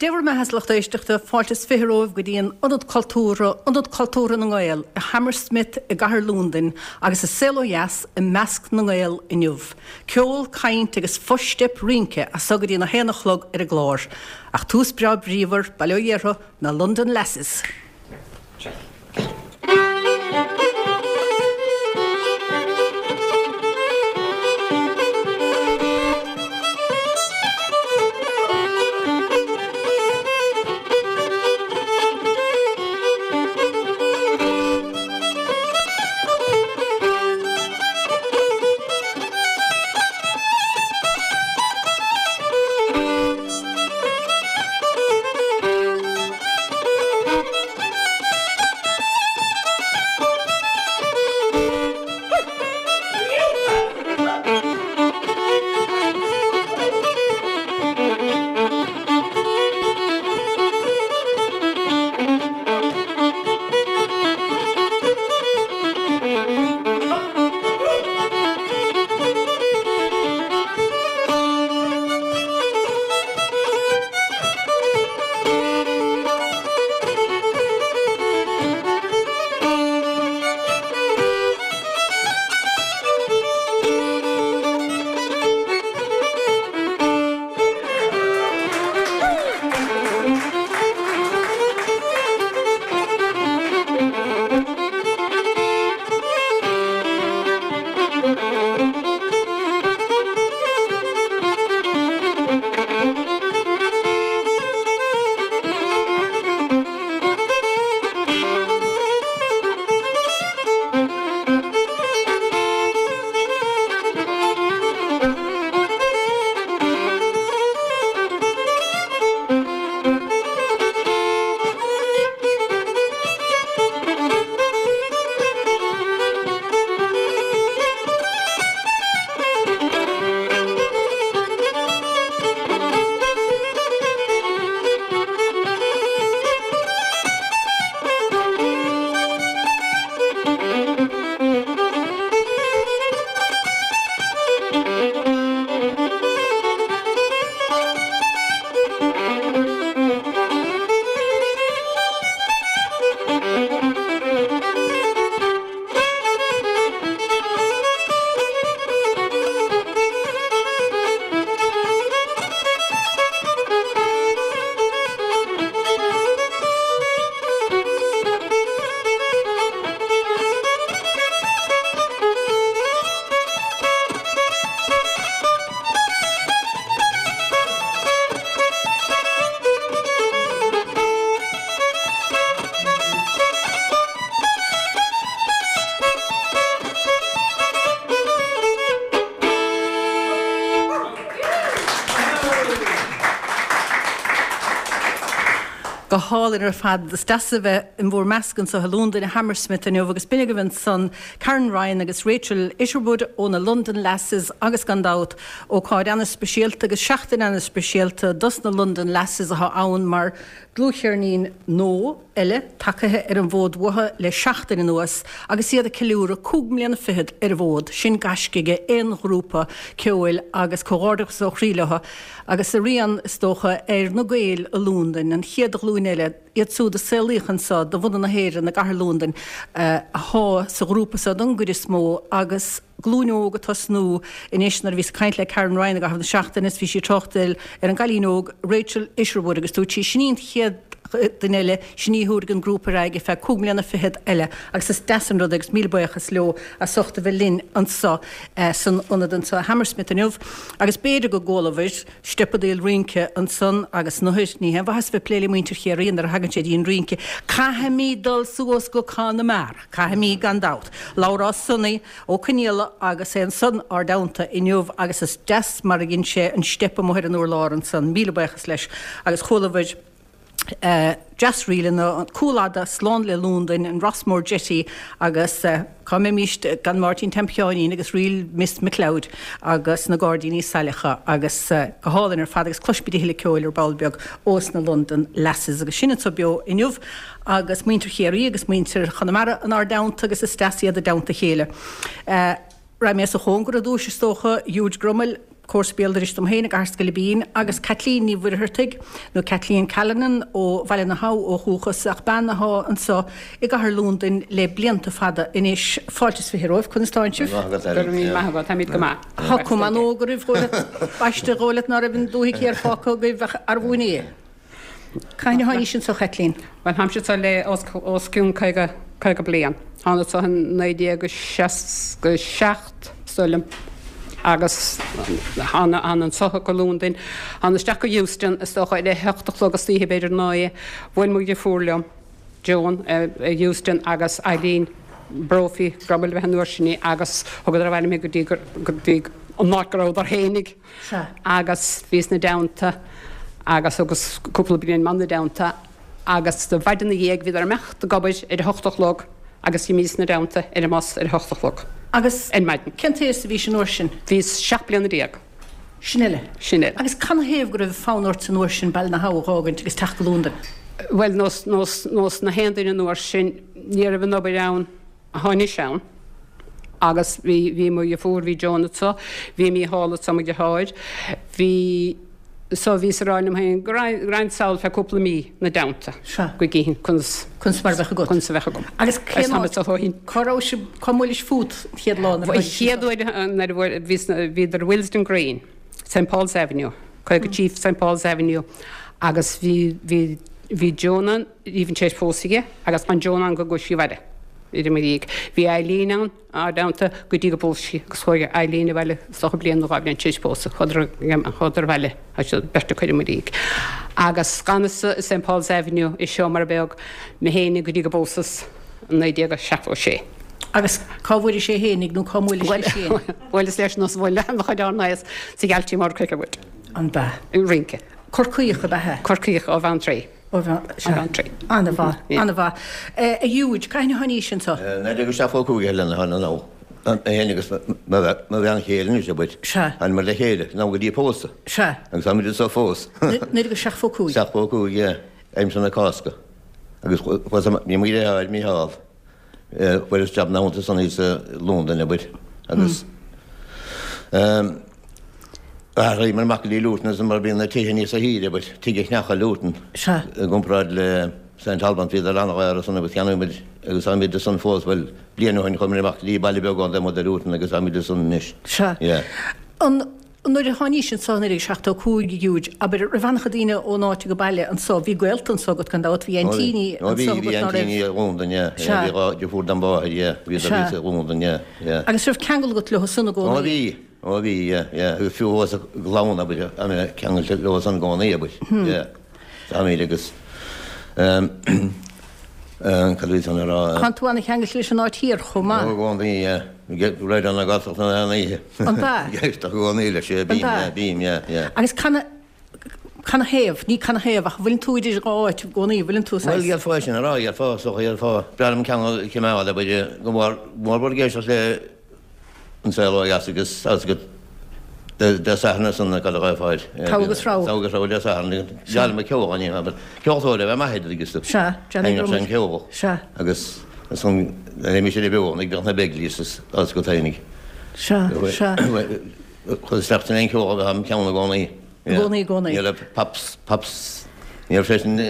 Dé bhur mbeatha a lucht éisteachta, fáilte is 20 romhaibh go dtí an Ionad Cultúrtha, Ionad Cultúrtha na nGael, i Hammersmith i gcathair Lúndain agus an saol ó dheas i measc na nGael inniu. Ceol, caint agus fo-steip rince as so go dtí an 1 a chlog ar an gclár. Ach tús breá bríomhar, bail ó Dhia orthu, na London Lasses! Go hálainn ar fad. Is deas a bheith in bhur measc anseo i Londain, i Hammersmith inniu agus b'in agaibh ansan Karen Ryan agus Rachel Isherwood ó na London Lasses agus gan dabht ócáid ana-speisialta agus seachtain ana-speisialta dos na London Lasses atá ann mar dlúthcheirnín nua eile tagaithe ar an bhfód uathu le seachtain anuas agus iad ag ceiliúradh cúig mbliana fichead ar an bhfód. Sin gaisce ag aon ghrúpa ceoil agus comhghairdeachas ó chroí leo agus a rian, is dócha, ar na Gaeil i Lúndain, an chéad ghlúin eile, iad siúd a saolaíodh anseo de bhunadh na hÉireann i gcathair Lúndain, athá sa ghrúpa seo don gcuid is mó agus. glúin óg ag tosnú anois. Nuair a bhíos ag caint le Karen Ryan i gcaitheamh na seachtaine is bhí sí ag tráchtáil ar an gcailín óg Rachel Isherwood agus dúirt sí sin í an chéad duine eile, sin í a thabharfaidh an grúpa ar aghaidh ar feadh cúig mbliana fichead eile agus is deas an rud é agus míle buíochas leo as ucht a bheith linn anseo san ionad anseo i Hammersmith inniu agus b'fhéidir go gcualabhair steipeadaíl rince ansan agus nuair, ní haon mhaitheas a bheith ag plé le muintir Chiarraí nuair a thagann sé dtí an rince, caithfimid dul suas go Conamara, caithfimid gan dabht. Labhrás Sonaí Ó Conaola agus é ansan ár dteannta inniu agus is deas mar a dhein sé an steip amuigh ar an urlár ansan, míle buíochas leis agus chualabhair deas-ríleanna, an Cúl Fhada, Slán le Lúndain, an Rossmore Jetty agus cá mbeimíst gan Máirtín Tom Sheáinín agus Ríl Miss McLeod agus na Gairdíní Saileacha agus go hálainn ar fad agus cloisfimid a thuilleadh ceoil ar ball beag ós na London Lasses agus sinn anso beo inniu agus muintir Chiarraí agus muintir Chonamara inár dteannta agus is deas iad i dteannta a chéile. Raghaidh mé as a chóngar ar dtúis is dócha, Huge Grummel. Cúrsa béal dorais dom féin i gCathair Scoilbín, agus Caitlín Ní Mhuircheartaigh, nó Kathleen Callanan, ó Bhaile na hAbha ó dhúchas, ach bean athá anso i gcathair Lúndain le blianta fada anois. Fáilte is 20 romhaibh, conas tánn sibh? Go raibh míle maith agat, táimid go maith. Tá cuma an-óg oraibh, dhóigh leat, b'aisteach dhóigh leat ná raibh an dúthaigh thiar fágtha agaibh ach arbh fhiú é? Cathain a tháinís anso, a Chaitlín? Bhuel, táimse anso le os cionn 50, 50 bliain. Thánas anso in 1967, is dóigh liom, agus thána anso go Londain. Thána isteach go Euston, is dócha, ar a hocht a chlog istoíche, b'fhéidir 9. Bhuail mo dheirfiúr liom, Joan, i Euston agus Eileen Brophy, go raibh a bheith an uair sin í, agus thugadar abhaile mé go dtí, go dtí an áit go rabhadar fhéinig. Sea. Agus bhíos 'na dteannta agus thugas cúpla bliain 'na dteannta agus do mhaidin 'na dhiaidh bhíodar ag imeacht ag obair ar a hocht a chlog agus d'imíos 'na dteannta ar an mbus ar a hocht a chlog Agus ar maidin. cén t-aos a bhís an uair sin? Bhíos 17 bliana. Sin uile. Sin uile. Agus canathaobh go raibh fonn ort an uair sin Baile na hAbha a dh'fhágaint agus teacht go Londain? Bhuel, nós, nós, nós na haon duine an uair sin, ní raibh an obair ann. Atá anois ann. Agus bhí, bhí mo dheirfiúr, bhí Joan anso, bhí Mícheál anso, mo dheartháir, bhí, so bhíos ag rá liom féin go raghainn, go raghainn sall feadh cúpla mí 'na dteannta Sea. go gcífinn conas, Conas mar a bheadh agat. conas a bheadh agam. Agus cén Agus táim áit, anso ó shin. cá raibh sibh, cá mbuailis fút an chéad lá nuair a An tháinig sibh chéad anso? uair nuair a bhuail, bhí sna, bhíodar i Willesden Green, St Paul's Avenue, 53 St Paul's Avenue agus bhí, bhí, bhí Joan ann, Even tar éis pósadh aige agus d'fhan Joan ann go gcuaigh sí abhaile i mo dhiaidh. Bhí Eileen ann ár dteannta go dtí go bpós sí agus chuaigh Eileen abhaile is dócha bliain nó dhá bhliain tar éis pósadh. Chuadar chuadar abhaile tá siad beirt acu i mo dhiaidh. Agus d'fhanas-sa i St Paul's Avenue i seomra beag mé fhéinig go dtí go bpósas i 1976. Agus cá bhfuairis é fhéinig nó cá mbuailis leis féin? Bhuaileas leis nós bhuail an-chuid ár n-aos sa Ghealtí Mór Cricklewood. An b'ea? Ag rince. Corcaíoch ab ea? Corcaíoch ó Bheanntraí. Ó Bheanntraí. An-mhaith, an-mhaith. A Jude, cathain a tháinís anso? 1975 Helen, a tháinig anall. Mé féin agus mo bhean chéile anois, abair. Sea. Thánamar le chéile, anall go dtí pósadh. Sea. Agus táimid anso fós. 1975? 75, yeah. Aimsir na Cásca. Agus chuas, bhí mo dheartháir, Mícheál, Fuaireas jab ina theannta san thíos i Londain, abair, agus athraíomar amach go dtí Luton ansan mar bhí na tithe níosa shaoire, abair, tigh a cheannach i Luton i gcomparáid le St Albans, bhíodar an-dhaor ansan agus cheannaigh muid agus táimid ansan fós, bhuel, bliain ó shin chuamar amach go dtí baile beag ann taobh amuigh de Luton agus táimid ansan anois. Sea. Yeah. An. Nuair a tháinís anso i 1975, a Jude, abair, raibh an-chuid daoine ón áit age baile anso, bhí gaolta anso agat gan dabht, bhí aintíní Ó bhí, anso bhí agat ná raibh? aintíní i Londain, yeah, yeah, bhí Sea. dhá deirfiúr dem mháthair, yeah, bhíodar Sea. thíos i Londain, yeah, yeah. Agus raibh ceangal agat leo san i Ó gcónaí? bhí, ó bhí, yeah, yeah, agus fiú thuas i gclann, abair, tá mé ceangailte leo san i gcónaí, abair, yeah, táimid agus, ehm, Cad a bhí tú a rá? Tánn tú ana-cheangailte leis an áit thiar chomh maith. Ó, i gcónaí, yeah. Raidió na Gaeltachta na hoíche. An b'ea? Ag éisteacht i gcónaí leis, yeah, bím, yeah, bím, yeah, yeah. Agus can, canathaobh, ní canathaobh ach an bhfuileann tú idir dhá áit i gcónaí, an bhfuileann tú saghas. Bhuel, gheallfá é sin a rá, gheallfá, is dócha, gheallfá. B'fhearr liom ceangal a choimeád, abair, go mór mór ag éisteacht le An Saol Ó Dheas agus agus go Dé Sathairn ansan cad a gheofá air. Togha agus rogha. Togha agus rogha Dé Sathairn. Geall le mo ceol an abair. Ceoltóir ab ea m'athair agus tú. Sea, Johnny Sheinneadh sé an ceol. Sea. Agus ansan nuair a bhí sé beo ag bheadh na Begleys is agus go tainig. Sea, sea. Chuir isteach san aon ceol a bheadh am ceann i gcónaí. I gcónaí, i gcónaí. Ní raibh Pops, Pops, ní raibh sé sin.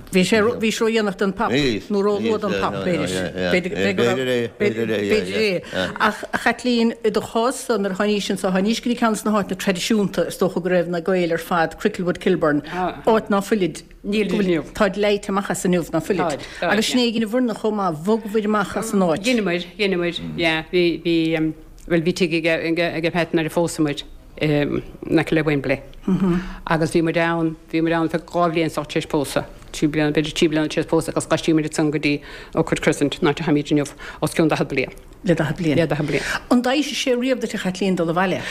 Bhí sé, bhí sé ródhéanach don Pop, nó róluath don Pop, b'fhéidir. B'fhéidir é, b'fhéidir é, b'fhéidir é. Ach, a Chaitlín, i do chás-sa, nuair a tháinís anso, tháinís go dtí ceann de na háiteanna traidisiúnta, is dócha go raibh na Gaeil ar fad, Cricklewood, Kilburn, áit ná fuilid, Níl inniu. Táid leáite amach as inniu, ná fuilid. Táid, táid, Agus sin é ag an bhfoirne chomh maith, bhogabhair amach as an áit. Dheineamair, dheineamair, yeah, bhí, bhí, bhuel, bhí tigh aige, aige, aige Pat nuair a phósamair. in aice le Wembley agus bhí muid ann, bhí muid ann feadh dhá bhliain is tar éis pósadh, trí bliana, b'fhéidir trí bliana tar éis pósadh agus d'aistrigh muid ansan go dtí Oakwood Crescent, an áit a tháimid inniu, os cionn 40 bliain. Le 40 bliain. Le 40 bliain. An dtaisigh sé riamh duit a Chaitlín dul abhaile?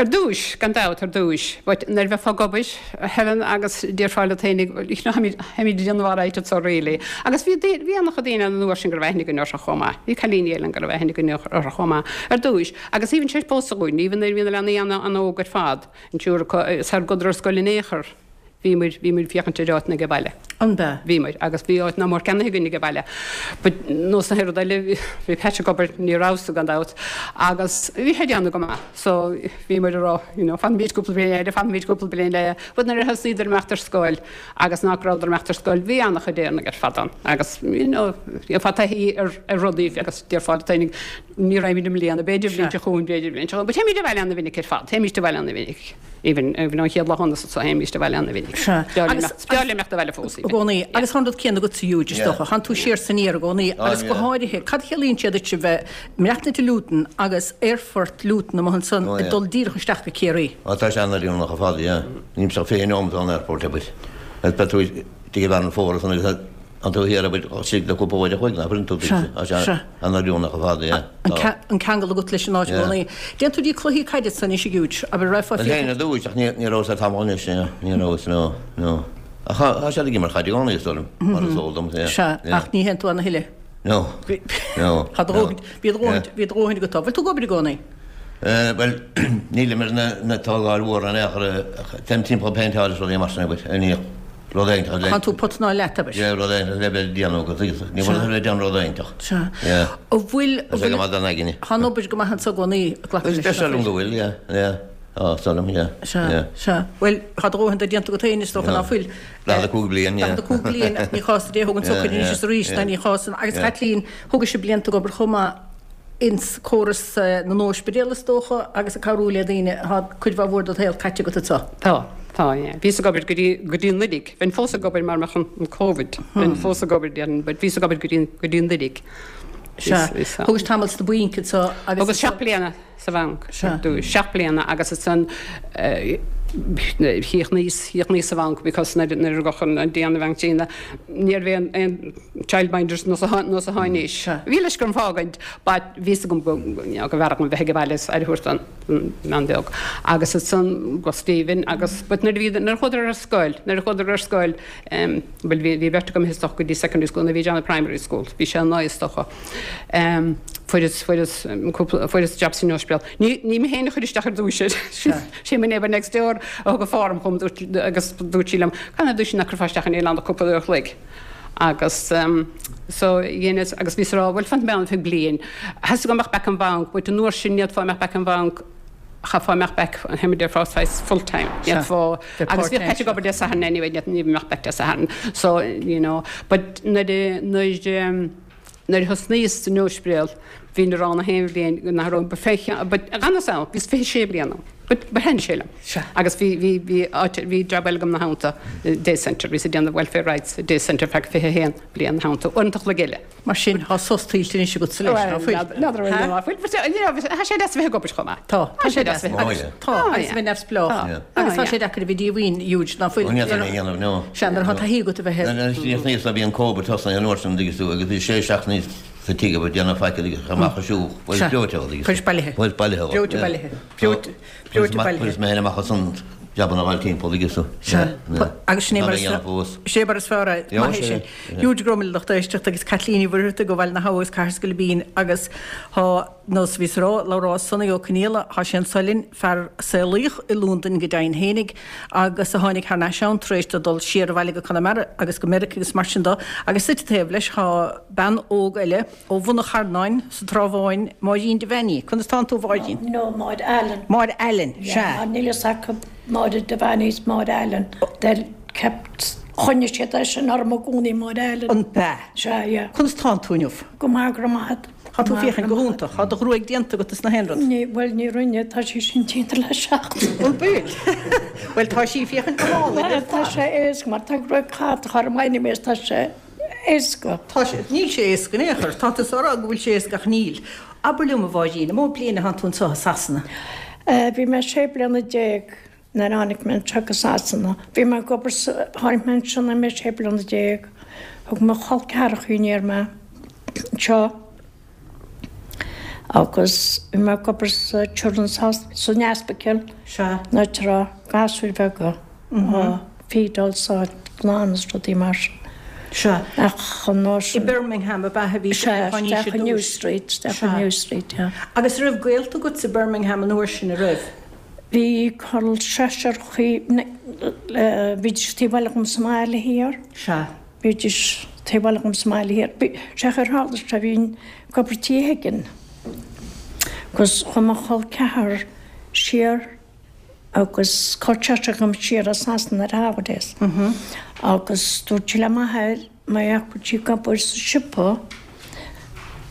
Ar dtúis, gan dabht, ar dtúis. But nuair a bheifeá ag obair, Helen, agus déarfá leat féinig, you know, tháimid, tháimid ag déanamh alright anso really. Agus bhí, bhí an-chuid daoine ann an uair sin go raibh aithne againn orthu chomh maith. Bhí cailíní eile ann go raibh aithne againn orthu chomh maith. Ar dtúis. Agus even tar éis pósadh dhúinn, even nuair a bhí na leanaí an-óg ar fad, an triúr acu, sar gcuadar ar scoil in aon chor, bhí muid, bhí muid ag féachaint ar áiteanna age baile. An b'ea? Bhíomar, agus bhí áit nach mór ceannaithe againn age baile. But nós na rud eile, bhí Pat ag obair, ní rabhas-sa gan dabht, agus bhí sé ag déanamh go maith. So bhíomar ag rá, you know, fanfaimid cúpla bliain eile, fanfaimid cúpla bliain eile. But nuair a thosnaíodar imeacht ar scoil, agus nach rabhadar imeacht ar scoil, bhí an-chuid Éireannaigh ar fad ann. Agus, you know, gheofá taithí ar ar rudaí agus déarfá leat féinig, ní raghaimid i mbliana, b'fhéidir bliain seo chugainn, b'fhéidir bliain seo chugainn. But théimid abhaile ana-mhinic ar fad, théimid abhaile ana-mhinic. Even, even ón chéad lá thángas anso, théimís abhaile ana-mhinic. Sea. B'fhearr linn imeacht, b'fhearr linn imeacht abhaile fós, I even. gcónaí. Agus tá an rud céanna agatsa, Huge, is dócha. Tánn tú siar 's aniar i gcónaí. Agus go háirithe, cad a chiallaíonn sé duit a bheith i mBreatnait i Luton agus aerfort Luton amuigh ansan ag dul díreach isteach go Ciarraí? Á, tá sé an-oiriúnach ar fad, yeah. Níl sé ach 20 neomat ón aerfort, abair. Agus beidh tú istigh i bhfearann fómhair ansan agus An tú thiar abair istigh le cúpla uair a chloig, nach bhfuil tú Sea, Tá sé sea. an-oiriúnach ar fad, yeah. An an ceangal agat leis an áit i gcónaí. Déann tú dtí cluichí caide ansan anois a Huge, abair raghfá Bhuel théinn ar dtúis ach ní ní rabhas le tamall anois, yeah. Ní rabhas, no, no. Ach tá tá siad ag imirt caide i gcónaí is dóigh liom, mar is eol dom, yeah. Sea, yeah. ach ní théann tú ann a thuilleadh. No, no, Tá do no. dhóthain, bhí do dhóthain, Yeah. bhí do dhóthain agat. Bhfuil tú ag obair i gcónaí? Eh, bhuel, nílim ar na na tógáil mhór in aon chor, ach téim timpeall ag péinteáil is rudaí mar sin, abair, ní rud éigeantach le. Tánn tú pot ná leat, abair. Yeah, rud éigeantach le bheith ag déanamh agat, agus ní bhfuil le déanamh rud éigeantach. Sea. Yeah. An bhfuil, Tá sé go maith don aigne. Tá an obair go maith anso i gcónaí, glacaim leis. Is dóigh liom go bhfuil, yeah, yeah. Tá, is dóigh liom, yeah. Sea, yeah. sea. Bhuel, tá do dhóthain de déanta agat féin, is dócha ná fuil. 45 bliain, yeah. 45 bliain, ní chás do Dé thug an tsochair anois is arís, ná ní chás an, agus Caitlín, thugais blianta ag obair chomh maith. ins córas na n-óispidéal is dócha agus ag cabhrú le daoine. Tá cuid mhaith mhór dod shaol caite agat anso. Tá, tá, yeah. Bhíos ag obair go dtí, go dtí Nollaig. Bheinn fós ag obair mara mbeadh an, an Covid. Bheinn fós ag obair, déarfainn, but bhíos ag obair go dtí, go dtí Nollaig. Sea. Thugais tamall sna bainc anso agus. Thugas seacht bliana sa bhanc. Sea. Seacht bliana agus ansan chríochnaíos, chríochnaíos sa bhanc because nuair, nuair a rugadh an, an Diana bhean críonna, ní raibh aon, aon, childminders nós atá anois. Bhí leis gur fágaint but bhí fhios agam go you know go mb'fhearr dhom bheith ag baile is aire a thabhairt don mbean bheag. Agus ansan go Stephen agus but nuair a bhí nuair a chuadar ar scoil nuair a chuadar ar scoil em bhuel bhí bhí beirt agam is dócha go dtí secondary school nuair a bhí John i primary school bhí sé an is dócha em fuaireas fuaireas cúpla fuaireas job san ospidéal. Ní ní mé féin a chuir isteach ar dtúis air. Sé mo neighbour next door a thug an form chugam dúirt agus dúirt sí liom canathaobh dúirt sí nach gcuirfeá isteach níl ann ach cúpla uair a chloig. Agus so dheineas agus bhíos ag rá bhuel fanfaidh mé ann ar feadh bliain. Theastaigh uaim imeacht back an bhanc but an uair sin ní fhéadfá imeacht back an bhanc chaithfeá imeacht back an déarfá saghas full time. Ní fhéadfá agus bhíodh Pat ag obair Dé Sathairn anyway ní imeacht back Dé Sathairn so you know but nuair a nuair a nuair a thosnaíos san ospidéal bhínn ag rá na haon bhliain nach raibh but fé but d'fhanas ann bhíos 26 bliain ann. But but thaitnigh sé liom. Sea. Agus bhí bhí bhí áit bhí job eile agam ina theannta, day centre, bhíos ag déanamh welfare rights day centre feadh 21 bliain ina theannta, uaireanta a chloig eile. Mar sin, tá sos tuillte anois agatsa leis, ná fuil? Bhuel, n'fheadar an bhfuil nó ná fuil, but you know, tá sé deas a bheith ag obair chomh maith. Tá, tá sé deas a bheith ag obair. Tá, agus a bheith neamhspleách. Tá. Agus tá sé deacair a bheith díomhaoin, Huge, ná fuil? Ní fhéadfainn é a dhéanamh, no. Sea, nuair atá taithí agat a bheith ar. Níos ná bhí an Covid tosnaithe an uair sin, an dtuigeann tú, agus bhí sé seachtainí sa tigh ag déanamh faic agus amach ag siúl, bhuel, breoite, Chuiris bailithe. Bhuel, bailithe. Breoite bailithe. Breoite Breoite bailithe. Chuireas mé féin amach as an jabanna a fháil timpeall agus so. Sea. Agus sin é mar is sin é mar is fearr é. Maith é sin. Huge go raibh míle lucht éisteachta agus Caitlín Ní Mhuircheartaigh ó Bhaile na hAbha agus Cathair Scoilbín agus tá nós bhíos ag rá labhrás Sonaí Ó Conaola tá sé anso linn fear a saolaíodh i Londain go deimhin fhéinig agus a tháinig thar n-ais ann tar éis dó dul siar abhaile go Conamara agus go Meiriceá agus mar sin dó agus suite taobh leis tá bean óg eile Ó Bhun an Charnáin, sa Trá Bháin, Máirín Devaney. Conas tánn tú, a Mháirín? No, Máire Allen. Máire Allen, Yeah, sea. mar níl fhios acu Máire Devaney is Máire Allen. They kept, choinnigh siad é sin orm i gcónaí, Máire Allen. An b'ea? Sea, yeah. Conas tánn tú inniu? Go maith, go raibh maith agat. Tá tú féachaint go hiontach. Tá do ghruaig déanta agat is na haon rud. Ní, bhuel, ní rinne, tá sí sin déanta le seachtain. An bhfuil? Bhuel, tá sí féachaint go hálainn ar Tá fad. sé éasca, mar tá gruaig chatach orm anyways, tá sé. éasca. Tá sé, níl sé éasca in aon chor. Tá tusa á rá go bhfuil sé éasca ach níl. Abair liom, a Mháirín, an mó bliain a thánn tú anseo i Sasana? Bhí mé sé bliana nuair a tháinig mé anseo go Sasana. Bhí mé ag obair sa, tháinig mé anseo nuair mé sé bliana. Thug mo chol ceathracha aniar mé anseo. Agus bhí mé ag obair sa Children's Hospital, san ospidéal, an áit a raibh gasúir bheaga á feedáil 's á nglanadh is rudaí mar sin. Sea. Ach an uair I sin. Birmingham ab ea a bhí Sea, tú isteach ar i New dtús. Street, isteach i Sea. New Street, yeah. Agus an raibh gaolta agat i Birmingham an uair sin, an raibh? Bhí col seisearchaí, bhídís taobh eile dhom sa mbaile thiar. Sea. Bhídís taobh eile dhom sa mbaile thiar. Bhí, sé an chaoi ar tharla sé, bhínn ag obair Tí Higgin agus chuaigh mo chol ceathar siar agus col seisear dhom siar as Sasana ar holidays agus dúirt sí le m'athair, Má fhaca sí ag obair sa siopa,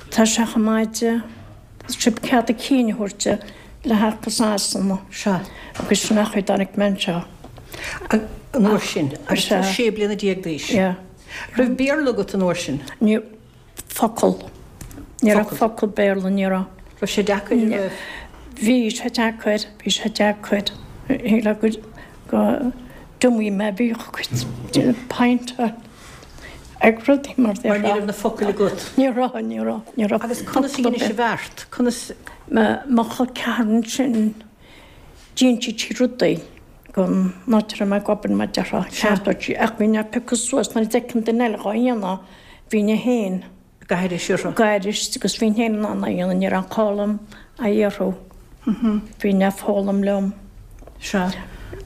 tá sé chomh maith di sip cead a cinn a thabhairt di le theacht go Sasana. Sea. Agus sin an chaoi a dtáinig mé anseo. An uair sin, agus tú 16 bliana d'aois. Yeah. Raibh Béarla agat an uair sin? Ní raibh focal. Ní raibh focal Béarla, ní raibh. Raibh sé deacair, an raibh? Bhí sé deacair, bhí sé deacair. Shílfeá go go dtiomfaidh mé bhíodh cuid pint ag rudaí mar Mar ní raibh na focail agat. Ní raibh, ní raibh, ní raibh. Agus conas a dheinis an bheart? Conas. Mo chol ceathar ansin d'inseodh sí rudaí don áit a raibh mé ag obair mar déarfá, cheartódh sí ach bhínn á piocadh suas nuair a d'fheicinn duine eile dhá dhéanamh bhínn féin Ag aithris orthu. Ag aithris agus bhínn féin in ann é a dhéanamh, ní raibh aon chall orm a fhiafraí. Bhínn á foghlaim liom. Sea.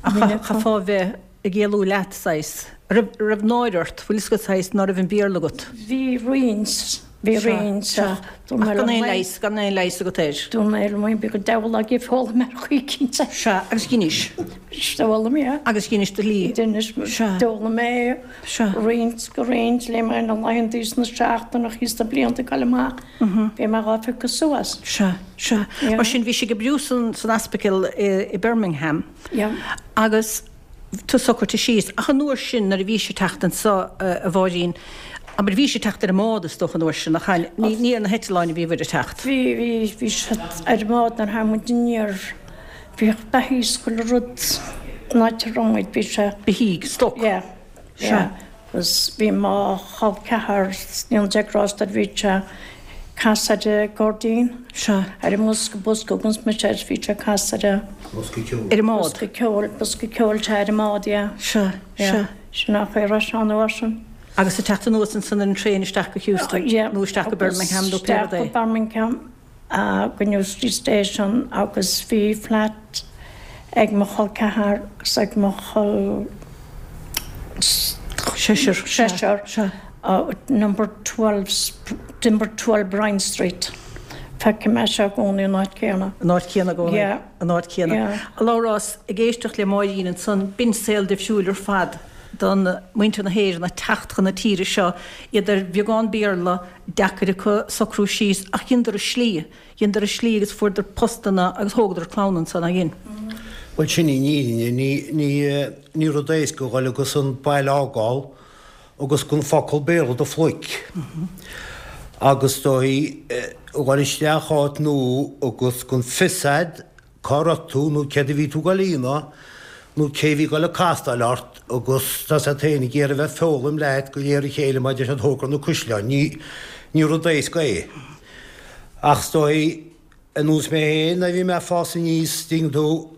Ach chaithfeá a bheith ag éalú leat, saghas. Raibh, raibh náire ort, bhfuil fhios agat, saghas, ná raibh an Béarla agat? Bhí roinnt, bhí roinnt ach dúirt mé liom Ach gan aon leigheas, gan aon leigheas agat air. Dúirt mé liom féin, bíodh an diabhal ag foghlaim ar chaoi éicint. Sea, agus dheinis. D'fhoghlaim mé. Agus dheinis do shlí. Dheinis, d'fhoghlaim mé. Sea. Roinnt go roinnt, léigh mé na laethantaí is na seachtaineacha is na blianta ag dul amach, bhí mé dhá phiocadh suas. Sea, sea. Mar sin, bhí sibh ag oibriú san, san ospidéal i Birmingham. Yeah. Agus tusa socraithe síos. Ach an uair sin, nuair a bhís ag teacht anso, a Mháirín, abair, bhís ag teacht ar an mbád, is dócha, an uair sin, nach ea? Ní, ní ar na heitleáin a bhíobhair ag teacht. Bhí, bhí, bhí siad ar an mbád nuair a tháinig muid aniar. Bhíodh beithígh is chuile rud an áit a raibh muid, bhí sé. Beithígh, stoc. Yeah, yeah. Agus bhí mo chol ceathar, níl Dia grásta air, bhí sé ag casadh ar an gcairdín. Sea. Ar an mbosca, bosca agus mise air, bhí sé ag casadh ar an. Bosca ceoil. Ar an mbád. Bosca ceoil, bosca ceoil, sea, ar an mbád, yeah. Sea, sea. Sin an chaoi a raibh sé an uair sin. Agus ag teacht anuas ansan ar an traein isteach go Heuston nó isteach go Birmingham nó pé rud é. Isteach go Birmingham. go New Street Station agus bhí flat ag mo chol ceathar agus ag mo chol seisear, seisear, number 12, number 12 Bryan Street. Feicim é seo i gcónaí an áit céanna. An áit chéanna i gcónaí. Yeah. An áit chéanna. Yeah. A Labhrás, ag éisteacht le Máirín ansan, b'in saol difriúil ar fad don muintir na hÉireann ag teacht chun na tíre seo, iad ar bheagán Béarla, deacair acu socrú síos ach dheineadar a slí, dheineadar a slí agus fuaireadar postanna agus thógadar clann ansan, ar dhein? Bhuel sin í an fhírinne, ní, ní, ní rud éasca a dhul agus an baile a fhágáil agus gan focal Béarla i do phluic. Agus is dóigh, a dhul isteach áit nua agus gan fios a'd cá raibh tú nó céard a bhí tú ag dul a dhéanamh nó cé a bhí ag dul ag castáil ort agus tá siad féin ag iarraidh a bheith ag foghlaim leat de réir a chéile mar a deir siad tógfar na cuisleáin. Ní, ní rud éasca é. Ach is dóigh, ar nós mé féin, nuair a bhí mé ag fás aníos, dtuigeann tú,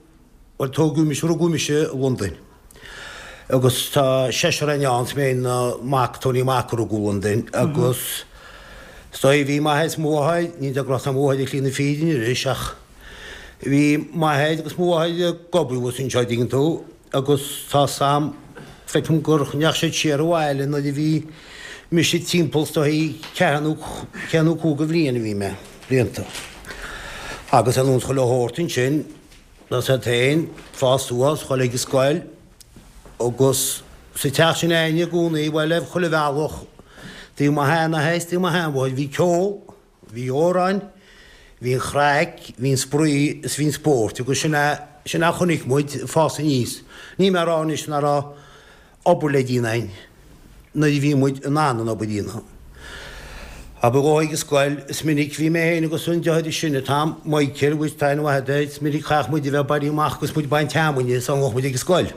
bhuel tógadh mise, rugadh mise i Londain agus tá seisear againn ann, is mé féin mac Tony Mac a rugadh i Londain agus is dóigh bhí m'athair is mo mháthair, níl de ghnáth mo mháthair ag slí na fírinne anois ach, Bhí m'athair agus mo mháthair ag obair thuas anseo, an dtuigeann tú, agus tá 's a'm, feicim gur ndeachaigh siad siar abhaile nuair a bhí mise timpeall is dóigh ceathair nó ceathair nó cúig de bhliain a bhí mé, blianta. Agus ar nós chuile shórt ansin, tá 's a'd féin, fás suas, dhul ag an scoil agus sa teach sin a'inne i gcónaí, bhuel, ar chuile bhealach, taobh mo sheanathair is taobh mo sheanmháthair, bhí ceol, Bhí amhráin, bhí an chraic, bhí an spraoi is bhí an spórt agus sin é, sin é a chonaic muid ag fás aníos. Níl mé ag rá anois nach raibh obair le déanamh againn nuair a bhí muid in ann an obair a dhéanamh. Ach ba dhóigh ag an scoil, is minic, bhí mé féin agus an deartháir is sine, Tom, Michael, agus tá aithne mhaith air, is minic chaithfeadh muid a bheith ag bailiú amach agus muid ag baint fheamainne sula ngabhadh muid ag an scoil.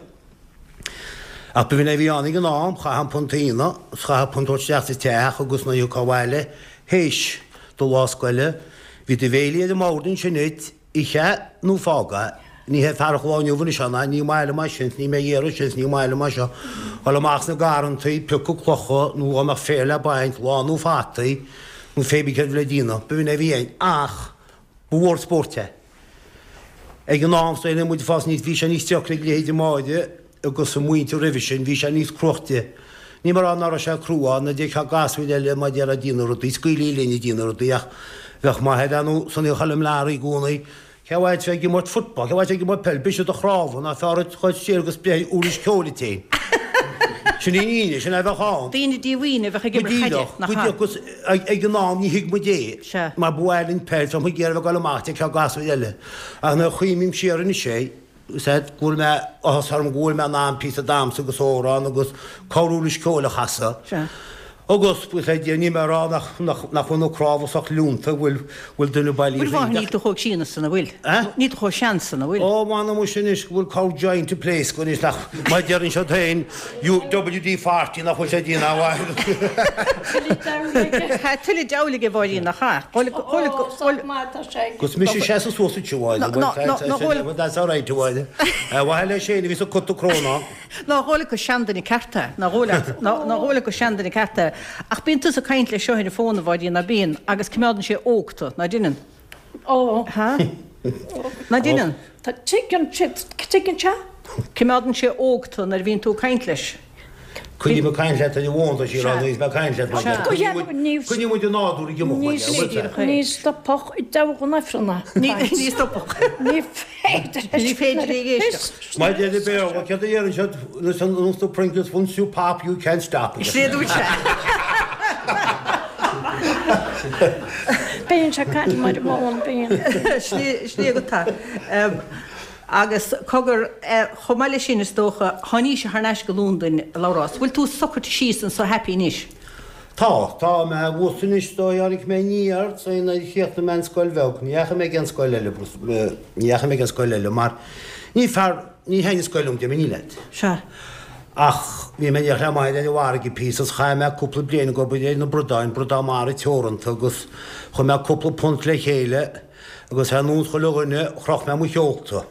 Ach b'in é a bhí ann ag an am, chaithfeá an punt a dhéanamh, is chaithfeá punt a thabhairt isteach sa teach agus nuair a thiocfá abhaile théis do lá scoile, bhí do bhéilí ar an mbord ansin duit, ith é nó fág é. Ní hé fearacht an lae inniu anois ná ní maith liom é sin, 's níl mé ag iarraidh sin, 's ní maith liom é seo. Dhul amach sna garrantaí, piocadh clocha nó dá mbeadh féar le baint, lánú fataí, nó pé bí céard a bhí le déanamh, b'in é a bhí ann. Ach ba mhór spóirt é. Ag an am san muid ag fás aníos bhí sé níos deacra ag leithéide Máire agus a muintir roimhe sin, bhí sé níos cruaichte. Níl mé ag rá ná raibh sé crua, ná d'fheicfeá gasúir eile mar a déarfá ag déanamh rudaí, scaoilí linn ag déanamh rudaí ach bheadh m'athair ar nó Sonny Choilm Learaí i gcónaí, Cé mhaith bheith ag imirt football, cé mhaith bheith ag imirt peil, briseadh do chnámha, nach fearr duit dhul siar agus breith ar uirlis ceoil duit féin. Sin í an fhírinne, sin é a bheadh ann. Daoine díomhaoine a bheadh ag imirt caide, nach ea? Go díreach, agus ag an am ní thuig muid é, Sea. mar ba mhaith linn peil, bheadh muid ag iarraidh a bheith ag dul amach, d'fheicfeá gasúir eile. Ach nuair a chuimhním siar anois é, Is ea, go bhfuil mé, áthas orm go bhfuil mé in ann píosa damhsa agus amhrán agus corruirlis ceoil a chasadh. Sea. Agus, buíochas le Dia, níl mé ag rá nach, nach, nach bhfuil na cnámha sách leonta, bhfuil, bhfuil duine bailí Bhfuil mhaith, níl tú chomh críonna san, an bhfuil? Eh? Níl tú chomh sean san, an bhfuil? Ó, m'anam muise anois go bhfuil corr joint ag pléascadh anois nach, mar a deireann siad féin, you, WD-40, nach bhfuil sé ag déanamh a mhaith. Tuilleadh diabhail aige. Tá tuilleadh diabhail aige, a Mháirín, nach ea? Dhul, dhul, Ó, dhul, sách maith atá sé aige. Agus mise seasamh suas anseo, a Mháire, Ná, ná, ná, ná dhul. That's all right, a Mháire. Ar mhaithe leis féin a bhíos ag cur crónán. Nár dhóigh leat gur seanduine ceart é? Nár dhóigh leat? Nár dhóigh leat gur seanduine ceart é? Ach bíonn tusa ag caint leis seo ar an bhfón, a Mháirín, ná bíonn? Agus coimeádann sé óg tú, ná deineann? Ó. Ha? Ná deineann? Tá, tuigeann sé, tuigeann sé. Coimeádann sé óg tú nuair a bhíonn tú ag caint leis. Coinním ag caint leat ar an bhfón, tá sí ag rá, nuair a bhíos mé ag caint leat, mar Sea. deir. Coinníonn muid an nádúr ag imeacht, mar deir, bhfuil sé? Ní stopfadh i dtogha an Aifrinn a caint. Ní stopfadh. Ní féidir leis. Ní féidir léi éisteacht. Mar a deir an Béarla, céard a deireann siad, listen, once the Pringles, once you pop, you can't stop. Sin é a dúirt sé. Bíonn sé ag caint mar an bhfón, bíonn. Sin é agat é. Agus cogar, chomh maith leis sin is dócha, tháinís thar n-ais go Londain, a Labhrás. Bhfuil tú socraithe síos anso happy anois? Tá, tá mé abhus anois, is dóigh, tháinig mé aniar, is dóigh, nuair a chríochnaigh mé an scoil bheag, ní dheachaigh mé ag aon scoil eile, ní dheachaigh mé ag aon scoil eile mar ní fearr, ní thaitnigh scoil liom, déarfainn leat. Sea. Ach bhí mé in éineacht le m'athair ar an bhfarraige píosa is chaith mé cúpla bliain ag obair ar na bradáin, Bradán Mara Teoranta agus chuir mé cúpla punt le chéile, Agus ar nós chuile dhuine, chroch mé mo sheolta.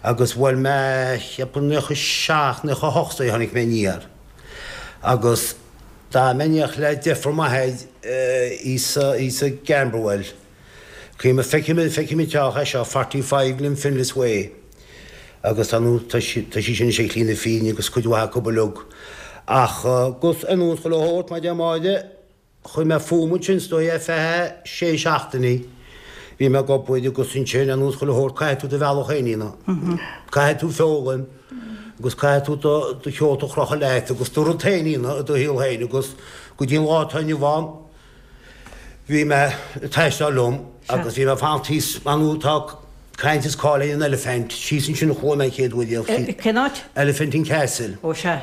Agus bhuel mé, cheapfainn 97, 98 is dóigh a tháinig mé aniar. Agus d'fhan mé in éineacht le deirfiúr m'athar thíos i gCamberwell. Cuimhním, feicim, feicim an teach é seo, 45 Glenfinlas Way. Agus tá nó, tá sí, tá sí sin anois ag slí na fírinne agus cuid mhaith acu uilig. Ach, agus ar nós chuile shórt, mar a deir Máire, Chuir mé fúm ansin is dóigh ar feadh sé seachtainí. Bhí mé ag obair agus ansin ar nós chuile shórt caithfidh tú do bhealach féin a dhéanamh. Caithfidh tú foghlaim agus caithfidh tú do do sheolta a chrochadh leat agus do rud féin a dhéanamh i do shaol féin agus go dtí an lá atá inniu ann bhí mé ag taisteal liom agus bhí mé ag fanacht thíos mar nó tá caint is cáil ar an Elephant síos ansin a chuaigh mé an chéad uair riamh. Cén áit? Elephant and Castle. Ó sea.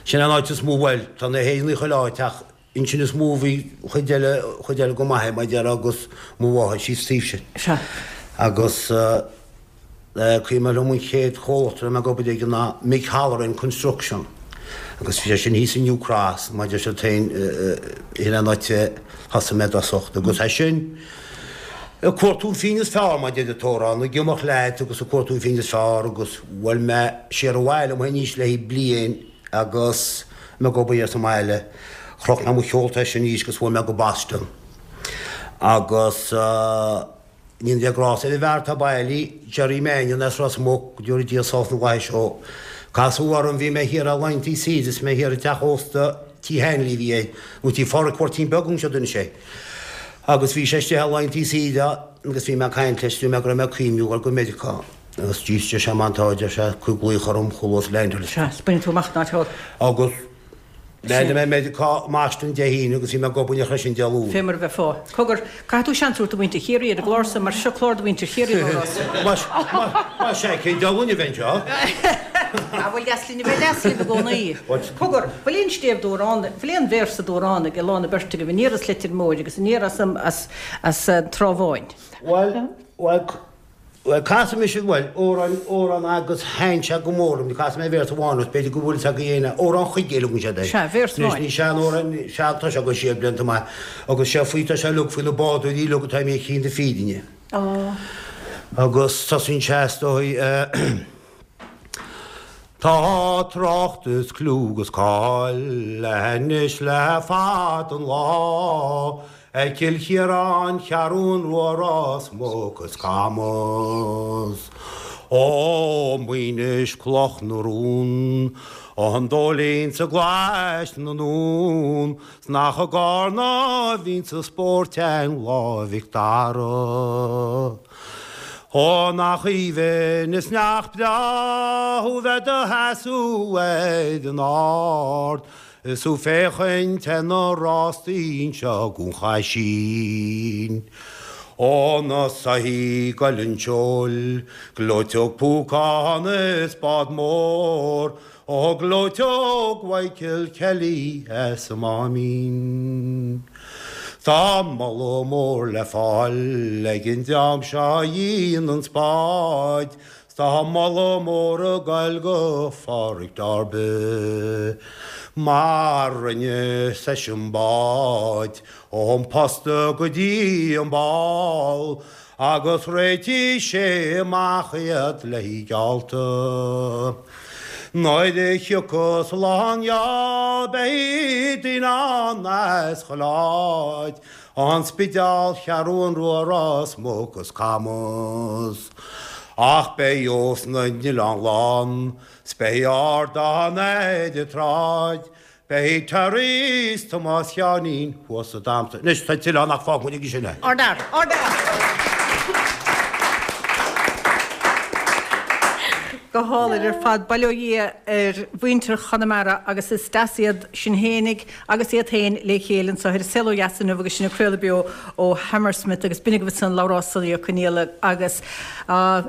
Sin an áit is mó, bhuel, tá na hÉireannaigh chuile áit ach ansin is mó a bhí chuid eile, chuid eile go maith mar a déarfá agus mo mháthair síos taobh sin. Sea. Agus eh cuimhin liom an chéad chomhlacht a raibh mé ag obair aige ná Mick Halloran Construction agus bhí sé sin thíos i New Cross mar a deir siad féin eh sin an áit a thosaigh mé i dtosach agus as sin ag cuartú an phingin is fearr mar a deir an t-amhrán, ag imeacht leat agus ag cuartú an phingin is fearr agus bhuail mé siar abhaile liom féin arís le haghaidh bliain agus mé ag obair sa mbaile. Chroch mé mo sheolta as sin arís agus bhuail mé go Boston agus go ndéana Dia grásta ar an bhfear atá bailí, Jerry Mannion as Ros Muc, go dtabharfaidh Dia sólás na bhFlaitheas dó. Casadh orm, bhí mé thiar ar laethanta saoire is mé thiar i dteach ósta Tí Hanley a bhí air, nó Tí Phádraic Mháirtín Beag anseo d'inis sé. Agus bhí sé istigh ar laethanta saoire agus bhí mé ag caint leis, dúirt mé go raibh mé ag cuimhniú dhul go Meiriceá agus jeez deir sé má tá, deir sé, cuir glaoch orm chomh luath is a leaindeáil. Sea, 's baineann tú amach an áit thall. Agus leaindeáil mé i Meiriceá i mBoston Dé hAoine agus bhí mé ag obair ansin Dé Luain. Fé mar a bheifeá. Cogar, caithfidh tú seans a thabhairt do mhuintir Chiarraí ar an gclár seo mar seo clár do mhuintir Chiarraí, a Labhráis. Más ea, cén diabhal linn a bheith anseo? Ah, bhuel, deas linn a bheith deas libh i gcónaí. Cogar, bhfuil aon stéibh d'amhrán, bhfuil aon véarsa d'amhrán ag lán na beirte agaibh aniar as Leitir Móir agus aniar as as as an Trá Bháin? Bhuel, bhuel, bhuel, casfaidh mise, bhuel, amhrán, amhrán agus thaitin sé go mór liom, casfaidh mé véarsa amháin as, b'fhéidir go bhfuil fhios agaibh é, amhrán Chuigéil a thugann siad air. Sea, véarsa Anois amháin. ní sean-amhrán, sean, tá sé ag dul siar blianta maith agus sé faoi, tá sé uilig faoi na bádóirí uilig atá imithe chun na fírinne. Ó. Agus tosaíonn sé is dóigh, eh. Tá trácht is clú 'gus cáil anois le fada an lá. Ar Chill Chiaráin, Cheathrún Rua Ros Muc is Camas. Ó Maínis Cloch na Rún, An Dóilín 's i gColáiste na nDún, 's nach i gCarna a bhínn sa spóirteann Lá Mhic Dara. Ó nach aoibhinn is nach breá thú bheith 'do sheasamh ar an ard, Is tú féachaint ar na rástaí anseo gon Chaisín. Ó na soithí goil an tseoil, gleoiteog Púcán is bád mór, Ó gleoiteog Mhichael Kelly as an Máimín. Tá moladh mór le fáil ag an dream seo a dhein an spáid, 'S tá moladh mór ag goil go Pháraic Darby mar rinne seisean bád ón posta go dtí an ball agus réitigh sé amach iad le geallta. Nuair a thiocfas lá an gheall beidh daoine ann as chuile áit An Spidéal, Cheathrún Rua, Ros Muc is Camas. Ach beidh ós na n-oileán lán, 's beidh ardán ar an tsráid, beidh Terry 's Tomás Sheáinín thuas sa damhsa. Anois tá tuilleadh ann ach fágfaidh muid aige sin é. Order! Order! Go hálainn ar fad. Bail ó Dhia ar mhuintir Chonamara agus is deas iad sin fhéinig agus iad féin le chéile anseo ar An Saol Ó Dheas inniu agus sinn ag craoladh beo ó Hammersmith agus b'in agaibh ansan Labhrás Sonaí Ó Conaola agus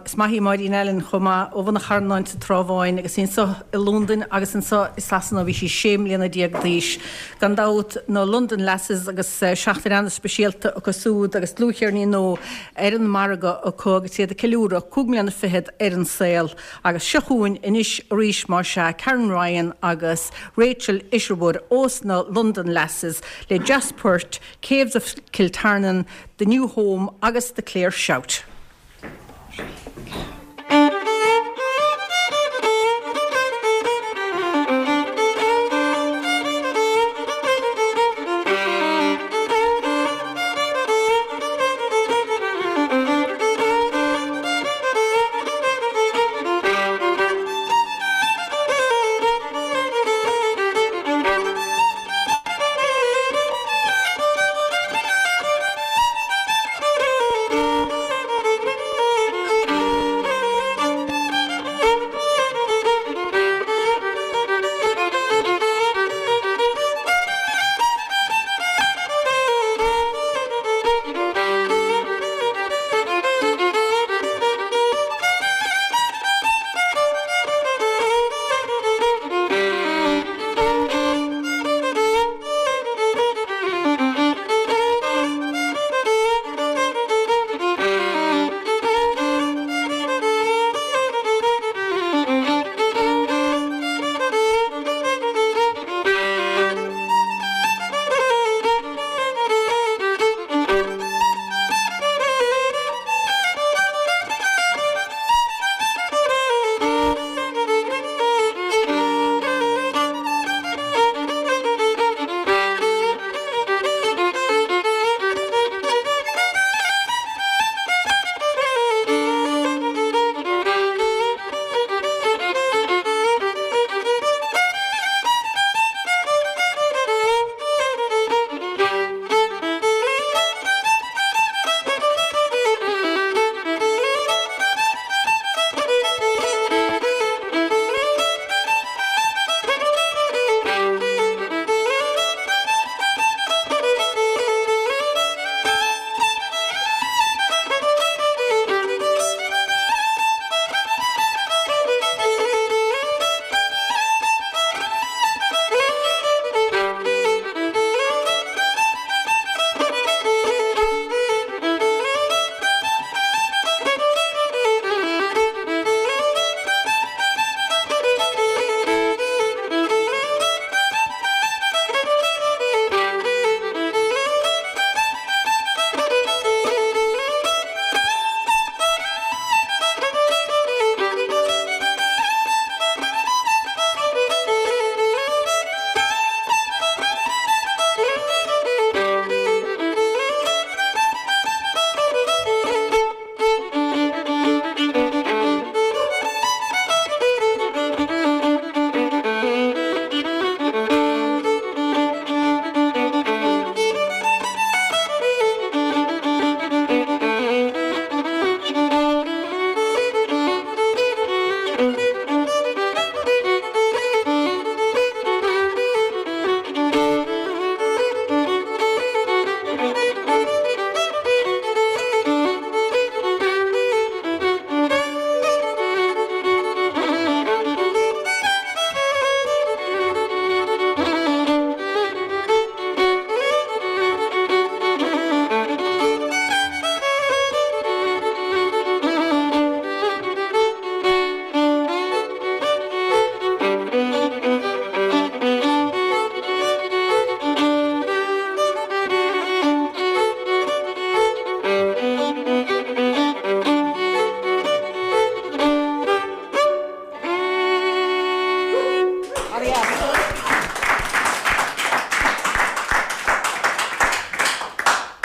is maith í Máirín Allen chomh maith ó Bhun an Charnáin sa Trá Bháin agus í anseo i Londain agus anseo i Sasana ó bhí sí 16 mbliana d'aois. Gan dabht na London Lasses agus seachtain an-speisialta acu súd agus dlúthcheirnín nua ar an margadh acu agus iad ag ceiliúradh cúig mbliana fichead ar an saol. Agus seo chugainn anois arís más ea, Karen Ryan agus Rachel Isherwood ós na London Lasses le deas-phoirt Caves of Kiltarnan, The New Home agus The Clare Shout.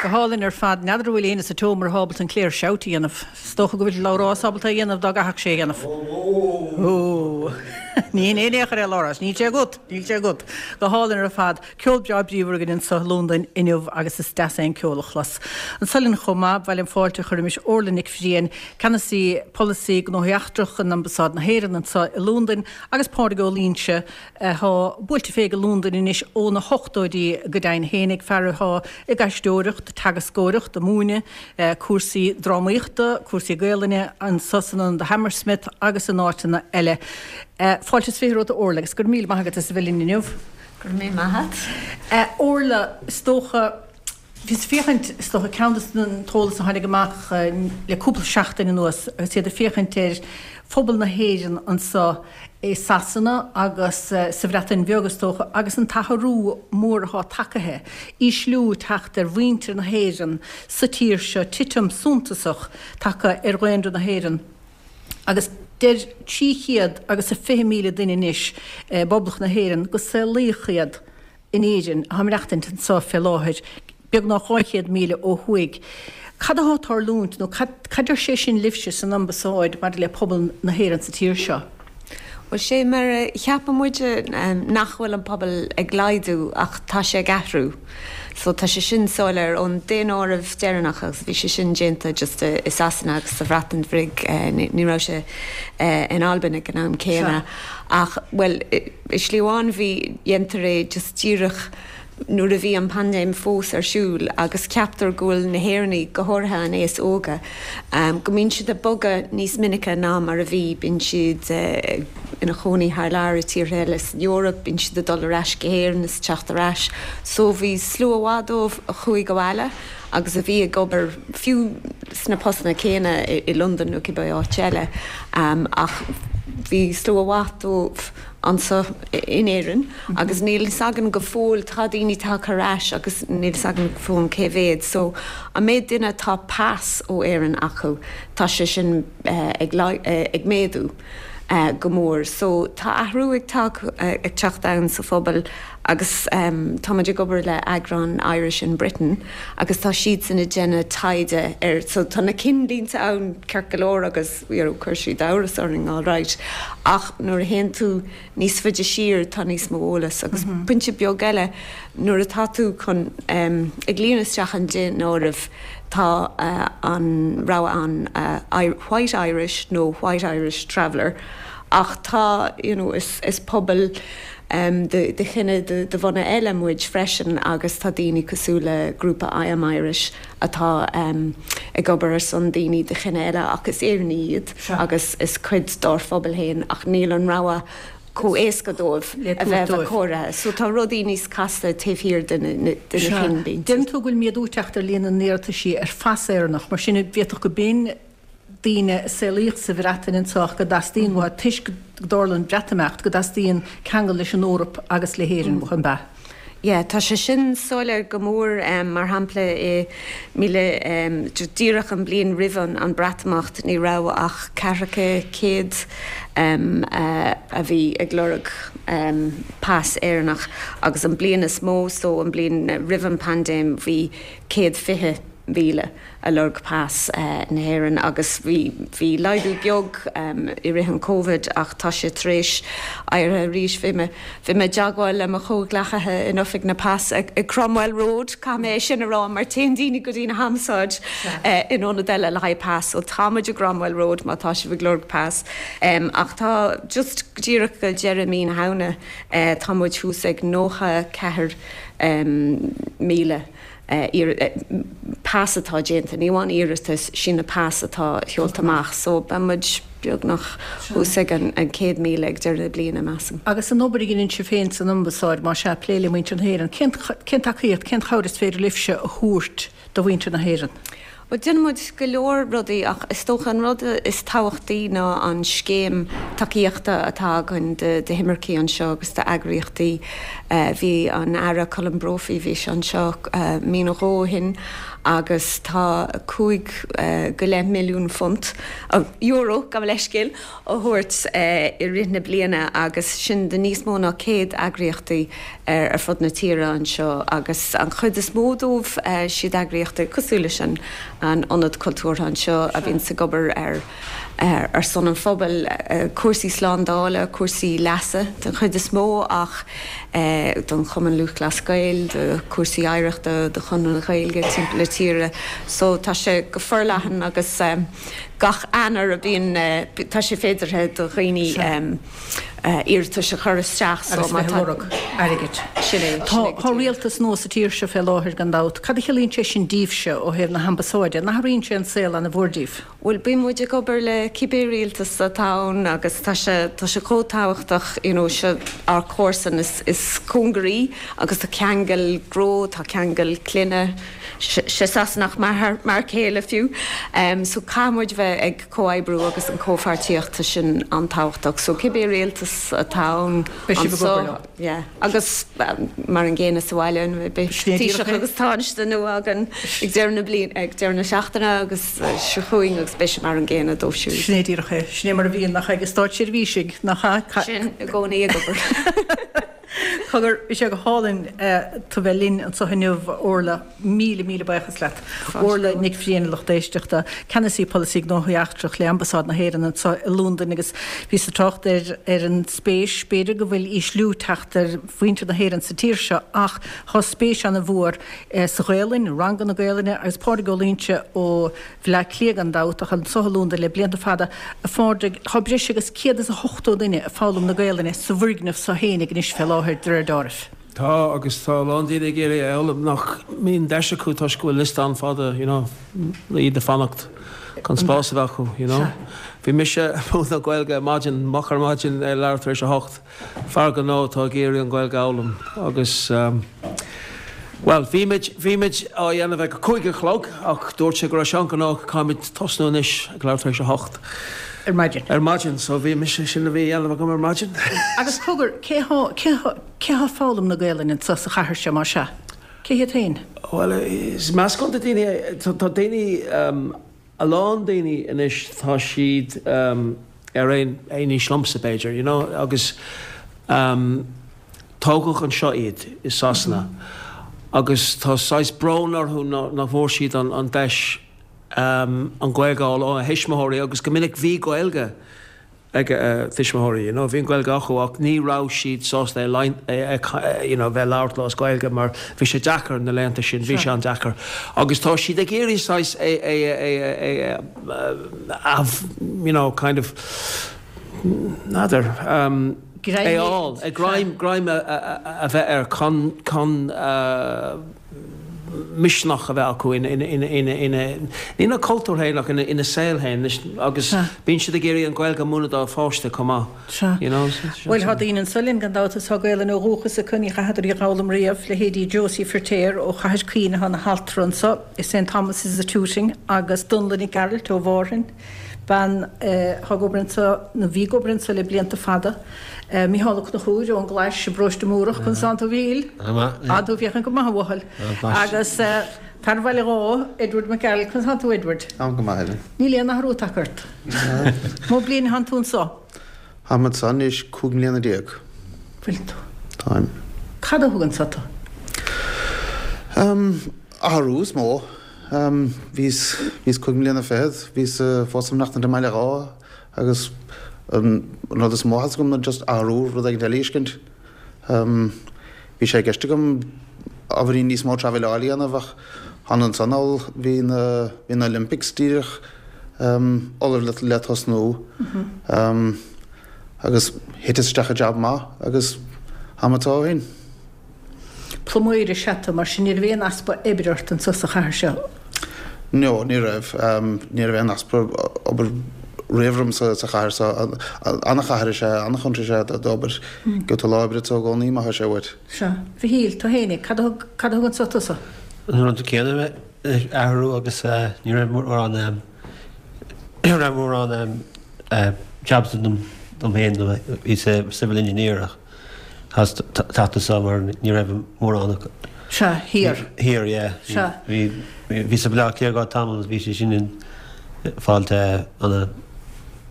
Go hálainn ar fad. N'fheadar an bhfuil éinne sa tseomra atá ábalta an Clare Shout a dhéanamh. Is dócha go bhfuil Labhrás ábalta é a dhéanamh dá gcaithfeadh sé é a dhéanamh. Ó! Ní hin é in aon chor é, Labhrás. Níl sé agat! Níl sé agat! Go hálainn ar fad. Ceol breá bríomhar againn anseo i Londain inniu agus is deas é an ceol a chlos. Anso linn chomh maith, ba mhaith liom fáilte a chur roimis Orla Nic Bhriain, Ceannasaí Polasaí Gnóthaí Eachtrach in Ambasáid na hÉireann anseo i Londain agus Pádraig Ó Loingsigh, athá buailte fé go Londain anois ó na hochtóidí go deimhin fhéinig, fear athá ag aisteoireacht, teagascóireacht, ag múineadh cúrsaí drámaíochta, cúrsaí Gaelainne anso san Ionad Hammersmith agus in áiteanna eile. Fáilte is 20 romhat a Orla agus go raibh míle maith agat as a bheith linn inniu. Go raibh míle maith agat. Orla, is dócha, Bhíos ag féachaint, is dócha, ceann de an t-eolas a tháinig amach le cúpla seachtain anuas agus iad ag féachaint ar phobal na hÉireann anseo i Sasana agus sa Bhreatain Bheag, is dócha, agus an t-athrú mór atá tagaithe, ísliú ag teacht ar mhuintir na hÉireann sa tír seo, titim suntasach tagtha ar dhaonra na hÉireann agus deir 300 agus a 20,000 duine anois i bPoblacht na hÉireann go saolaíodh iad in Éirinn, atá ag maireachtaint anseo fé láthair, beagnach 200,000 ó thuaidh. Cad athá ag tarlúint, nó cad, cad deir sé sin libhse san Ambasáid maidir le pobal na hÉireann sa tír seo? Bhuel, sé mar a cheapann muide nach bhfuil an pobal ag laghdú ach tá sé ag athrú. So tá sé sin soiléir ón daonáireamh deireanach agus bhí sé sin déanta just i Sasana agus sa Bhreatain Bhig, ní raibh sé in Albain ag an am céanna ach, bhuel, I slí amháin bhí, dhéantar é just díreach nuair a bhí an paindéim fós ar siúl agus ceaptar go bhfuil na hÉireannaigh, go háirithe an aos óga, go mbíonn siad ag bogadh níos minice ná mar a bhí, bíonn siad ina chónaí thar lear i tíortha eile san Eoraip, bíonn siad ag dul ar ais go hÉirinn is teacht ar ais. So bhí slua mhaith dóibh a chuaigh abhaile agus a bhí ag obair fiú sna postanna céanna i Londain nó cibé áit eile ach bhí slua mhaith dóibh anseo in Éirinn agus níl fhios againn go fóill, tá daoine tagtha ar ais agus níl fhios againn go fóill cé mhéad. So an méid duine atá pas ó Éirinn acu, tá sé sin ag ag méadú go mór. So tá athrú ag ag teacht ann sa phobal agus tá muid ag obair le eagrán Irish in Britain agus tá siadsan ag déanamh taighde ar, so tá na cinnlínte ann ceart go leor agus you know chuir siad amhras orainn alright ach nuair a théann tú níos faide siar tá níos mó eolas agus pointe beag eile nuair atá tú chun ag líonadh isteach an daonáireamh tá an rogha ann White Irish nó White Irish Traveller ach tá you know is is pobal de chine de bhunadh eile muid freisin agus tá daoine cosúil le grúpa I Am Irish atá ag obair ar son daoine de chine eile ach is Éireannaigh iad agus is cuid dár phobal féin ach níl an rogha chomh éasca dóibh a bheith cóirithe. So tá rudaí níos casta taobh thiar de na cinnlínte. Deireann tú go bhfuil méadú ag teacht ar líon na n-iarrataisí ar phas Éireannach, mar sin d'fhéadfadh go b'in daoine a saolaíodh sa Bhreatain anseo ach go dteastaíonn uathu, toisc go dtarla an Breatimeacht, go dteastaíonn ceangal leis an Eoraip agus le hÉirinn uathu, an ea? Yeah, tá sé sin soiléir go mór. Mar shampla, i míle, díreach an bhliain roimh an Breatimeacht, ní raibh ach ceathracha céad a bhí ag lorg pas Éireannach agus an bliain is mó, so an bliain roimh an paindéim, bhí 120,000. a lorg pas na hÉireann agus bhí bhí laghdú beag i rith an Covid ach tá sé tar éis éirí arís. Bhí mé bhí mé i dteagmháil le mo chomhghleacaithe in Oifig na Pas ag Cromwell Road, caithfidh mé é sin a rá mar téann daoine go dtí na hAmbasáid in ionad eile le haghaidh pas so tá muid i gCromwell Road má tá sibh ag lorg pas. Ach tá just díreach go deireadh mí na Shamhna tá muid thuas ag 94,000. pas atá déanta, ní amháin iarratas, sin na pas atá seolta amach so beidh muid beagnach thuas ag an 100,000 ag deireadh na bliana, measaim. Agus an obair a dhéanann sibh féin san Ambasáid, más ea, ag plé le muintir na hÉireann, cén cén tacaíocht, cén chabhair is féidir libhse a thabhairt do mhuintir na hÉireann? Bhuel, déanann muid go leor rudaí ach is dócha an rud is tábhachtaí ná an scéim tacaíochta atá againn d'imircigh anseo agus d'eagraíochtaí. Bhí an Aire Colm Brophy, bhí sé anseo mí nó dhó ó shin agus tá 5 go leith milliún phunt, euro, gabh mo leithscéal, á thabhairt i rith na bliana agus sin do níos mó ná 100 eagraíochtaí ar fud na tíre anseo agus an chuid is mó dóibh siad eagraíochtaí cosúil leis an Ionad Cultúrtha anseo a bhíonns ag obair ar ar son an phobail, cúrsaí slándála, cúrsaí leasa den chuid is mó ach don Chumann Lúthchleas Gael, do chúrsaí oidhreachta, do Chonradh na Gaeilge timpeall na tíre. So tá sé go forleathan agus. Gach Eanáir a bhíonn, tá sé féideartha do dhaoine iarratais a chur isteach so má tá. Agus bheith ag lorg airgid. Sin é, sin é Tá go díreach. rialtas nua sa tír seo fé láthair gan dabht. Cad a chiallaíonn sé sin díbhse ó thaobh na hambasáide? An athraíonn sé an saol ana mhór díbh? Bhuel, bíonn muid ag obair le cibé rialtas atá ann agus tá sé, tá sé chomh tábhachtach, you know, seo ár comharsan is, is cóngaraí agus tá ceangal gnó, tá ceangal clainne, sé Sasanach m'athair céile fiú. So caithfidh muid bheith ag comhoibriú agus an comhpháirtíocht sin an-tábhachtach. So cibé rialtas atá ann anseo, yeah, agus mar an gcéanna sa bhaile, beidh Taoiseach agus Tánaiste nua againn ag deireadh na bliana, ag deireadh na seachtaine agus seo chugainn agus beidh sé mar an gcéanna dóibh siúd. Sin é díreach é. Sin é mar a bhíonn, nach ea, ag státseirbhísigh, nach ea? Sin i gcónaí ag obair. Cogar, bhí sé go hálainn tú bheith linn anseo inniu, a Orla. Míle, míle buíochas leat. Orla Nic Bhriain, a lucht éisteachta, Ceannasaí Polasaí Gnóthaí Eachtrach le Ambasáid na hÉireann anseo i Londain agus bhíos ag trácht ar ar an spéis, b'fhéidir go bhfuil ísliú teacht ar mhuintir na hÉireann sa tír seo ach tá spéis ana-mhór sa Ghaelainn, ranganna Gaelainne agus Pádraig Ó Loingsigh ó Bhleá Cliath gan dabht, ach anseo i Londain le blianta fada, a Phádraig, tá breis agus 180 duine ag foghlaim na Gaelainne sa bhfoirgneamh seo fhéinig anois fé láthair, de réir deáraimh. Tá, agus tá a lán daoine ag iarraidh é a fhoghlaim nach mbíonn deis acu toisc go bhfuil liosta an-fhada, you know, le iad ag fanacht chun spás a bheith acu, you know. Bhí mise ag múineadh Gaeilge ar maidin, moch ar maidin ar leathuair tar éis a hocht. Fear gnó atá ag iarraidh an Ghaeilge a fhoghlaim agus, bhuel, bhí muid, bhí muid á dhéanamh ag a 5 a chlog ach dúirt sé go raibh sé an-ghnóthach, caithfimid tosnú anois ag leathuair tar éis a hocht. Ar maidin. Ar maidin, so bhí mise, sin a bhí a dhéanamh agam ar maidin. Agus cogar, cé thá, cé thá, cé thá ag foghlaim na Gaelainne anso sa chathair seo, más ea? Cé hiad féin? Bhuel, is meascán de daoine é, tá daoine, A lán daoine anois tá siad ar aon aois liomsa b'fhéidir, you know, agus tógadh anseo iad i Sasana agus tá saghas brón orthu nach bhfuair siad an deis an Ghaeilge a fháil óna thuismitheoirí agus go minic bhí Gaeilge ag a tuismitheoirí, you know, bhí an Ghaeilge acu ach ní raibh siad sásta é a, you know, bheith labhairt leo as Gaeilge mar bhí sé deacair na laethanta sin, bhí sé an-deacair. Agus tá siad ag iarraidh saghas é, é, é, é, a, you know, kind of, n'fheadar, um, é a fháil, é greim, greim a, a, a bheith air chun, chun, uh, misneach a bheith acu ina, ní ina cultúr féin ach ina saol féin agus bíonn siad ag iarraidh an Ghaeilge a mhúineadh dá pháiste chomh maith. Sea. You know? Bhuel, tá daoine anso linn gan dabht atá Gaelainn ó dhúchas acu, ní chaitheadar í a dh'fhoghlaim riamh, leithéidí Josie Firtéar ó Chathair Caoin atá ina haltra anso i St Thomas' i Tooting agus Donla Nic Gearailt ó Mhárthain, bean atá ag obair anso, nó bhí ag obair anso le blianta fada. Mícheál Ó Conchúir ón gClais i bParóiste Múrach, Conas tánn tú a Mhíchíl? Tá tú féachaint go maith a bhuachaill. Agus fear Bhaile Dháith, Edward Mac Gearailt, Conas tánn tú Edward? Táim go maith Helen. Níl aon athrú tagtha ort. Mó bliain atánn tú anso? Táim anso anois 15 mbliana. Bhfuil tú? Táim. Cad a thug anso tú? Athrú is mó. Bhíos, bhíos cúig mbliana fichead, bhíos fós ag maireachtaint i mBaile Dháith agus an rud is mó a theastaigh uaim ná just athrú, rud éigin eile a fheiscint. Bhí sé i gceist agam ábhairín níos mó traibhéileáil a dhéanamh ach thána ansan thall, bhí na, bhí na Olympics díreach ullamh le, le tosnú agus thiteas isteach i jab maith agus táim anso ó shin. Pluiméir is ea tú, mar sin ní raibh aon easpa oibre ort anso sa chathair seo? No, ní raibh. Ní raibh aon easpa obair riamh orm sa chathair seo. Ana-chathair is ea, ana-chontae is ea d'obair. Gheobhaidh tú lá oibre anso i gcónaí má tá sé uait. Sea. Mhichíl, tú fhéinig, cad a thug, cad a thug anso tusa? An rud céanna mé. athrú agus ní raibh mórán ní raibh mórán jobs dom féin bhíos civil engineer ach chaitheas teacht anso mar ní raibh mórán acu. Sea, thiar. Thiar, yeah. Sea. Bhí bhíos i Baile Átha Cliath go tamall agus bhí sé sin in fáilte ana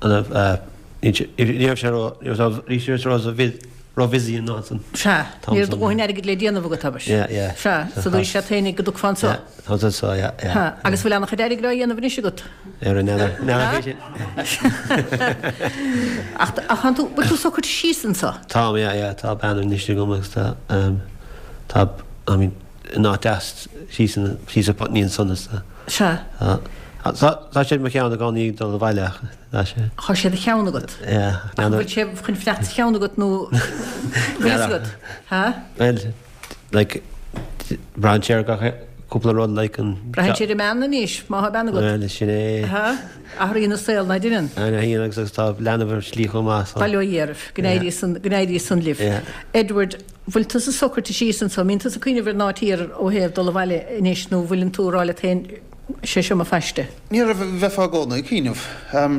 ana ní raibh sé ró ní raibh sé ró ró busy an áit san. Sea, ní raibh do dhóthain airgid le déanamh agat, abair. Yeah, yeah. Sea, so dúirt sé féinig go dtiocfá anso. Yeah, tá anso, yeah, yeah. Ha, agus bhfuil an-chuid airgid á dhéanamh anois agat? Ar an n'fheadar, n'fheadar fé sin. Ach, ach tánn tú, bhfuil tú socraithe síos anso? Táim, yeah, yeah, tá bean anois agam agus tá, um, tá, I mean, in áit deas síos in, síos i Putney ansan is tá. Sea. Tá, tá, tá sé i mo cheann i gcónaí ag dul abhaile ach tá sé. Tá sé i do cheann agat? Yeah. Ach an bhfuil sé chun fanacht sa cheann agat nó bhfuil fhios agat? Ha? Well, like, braitheann sé ar gach cúpla rud, like an. Braitheann sé ar an mbean anois, má thá bean agat. Well, sin é. Ha? Athraíonn an saol, ná deineann? Athraíonn agus agus tá leanbh ar slí chomh maith, so. Bail ó Dhia oraibh, go n-éirí san, go n-éirí san libh. Yeah. Edward, bhfuil tusa socraithe síos anso, mbíonn tusa ag cuimhneamh ar an áit thiar ó thaobh dul abhaile anois nó bhfuileann tú ag rá leat féin, sé seo mo phaiste? Ní raibh, bheifeá i gcónaí ag cuimhneamh,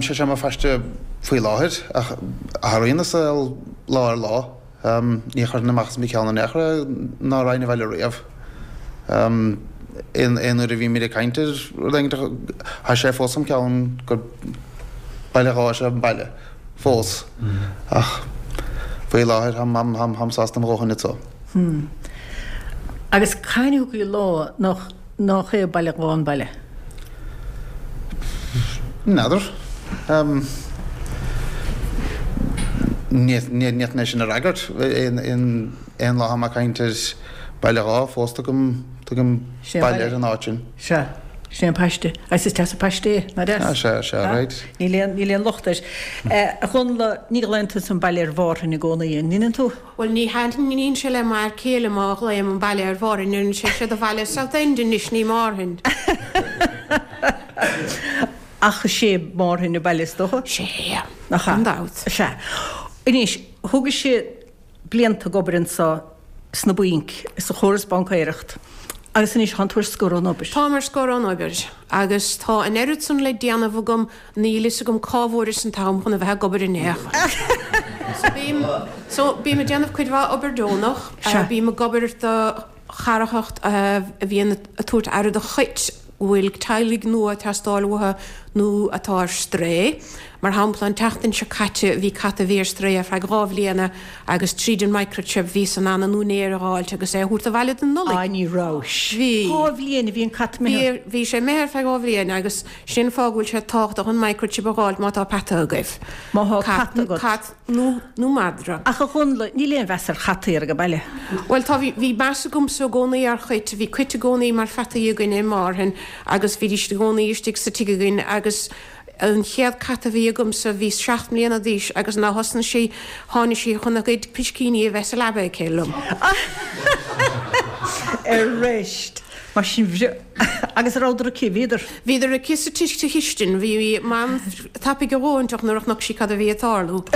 sé seo mo phaiste faoi láthair, ach athraíonn an saol lá ar lá. Ní chuirfinn amach as mo cheann in aon chor é ná raghainn abhaile riamh. Aon uair a bhímid ag caint ar rud éigin, tá sé fós im cheann gur Baile Dháith is ea an baile, fós. Ach faoi láthair, táim sásta mo dhóthain anso. Agus cathain a thiocfaidh an lá nach. Nach é Baile Dháith an baile? N'fheadar. Ní fhéadfainn é sin a fhreagairt. Aon lá atá mé ag caint ar Baile Dháith fós tugaim baile ar an áit sin. Sea. Sin é an paiste. Agus is deas an paiste é, nach deas? Ah, sea, sea, right. Níl aon, níl aon locht air. A Dhonnla, ní ghlaonn tusa an baile ar Mhárthain i gcónaí, an ndeineann tú? Bhuel, ní thaitníonn sé le m'fhear céile má ghlaoim an baile ar Mhárthain, deireann sé, 'Sé do bhaile South End anois, ní Márthain. Ach is é Márthain an baile is dócha? Sé, Nach ea? gan dabht. Sea. Anois, thógaibhse blianta ag obair anso sna bainc, sa chóras baincéireacht, agus anois tánn tú ar scor ón obair. Táim ar scor ón obair, agus tá an oiread san le déanamh agam Níl fhios agam cá bhfuaireas an t-am chun a bheith ag obair in aon chor. So bím, so bím ag déanamh cuid mhaith obair deonach. Sea. Bím ag obair do charthanacht a bhíonn ag tabhairt aire do chait go bhfuil teaghlaigh nua ag teastáil uathu nó atá ar strae. Mar shampla, an tseachtain seo caite bhí cat a bhí ar strae ar feadh 2 bhliana agus tríd an microchip bhíos in ann an úinéir a dh'fháilt agus é a thabhairt abhaile don Nollaig. Ah, ní rabhais. Bhí. 2 bhliain a bhí an cat imithe. Bhí, bhí sé imithe ar feadh 2 bhliain agus Sin an fáth go bhfuil sé tábhachtach an microchip a dh'fháilt má tá peata agaibh. Má thá cat agat. Cat nó, nó madra. Ach a Dhonnla, níl aon mheas ar chataí ar an baile. Bhuel tá, bhí, bhí meas agamsa i gcónaí ar chait. Bhí cait i gcónaí mar pheataí againne i Márthain agus bhídís i gcónaí istigh sa tigh againn agus an chéad cat a bhí agamsa bhí 7 mbliana d'aois agus nuair a thosnaigh sí, tháinig sí chun a gcuid piscíní a bheith sa leaba aici liom. Arís! Mar sin, agus a rabhadar aici, bhíodar. Bhíodar aici sa tigh sa chistin. Bhí Mam tapaidh a dhóthain nuair a chonaic sí cad a bhí ag tarlú.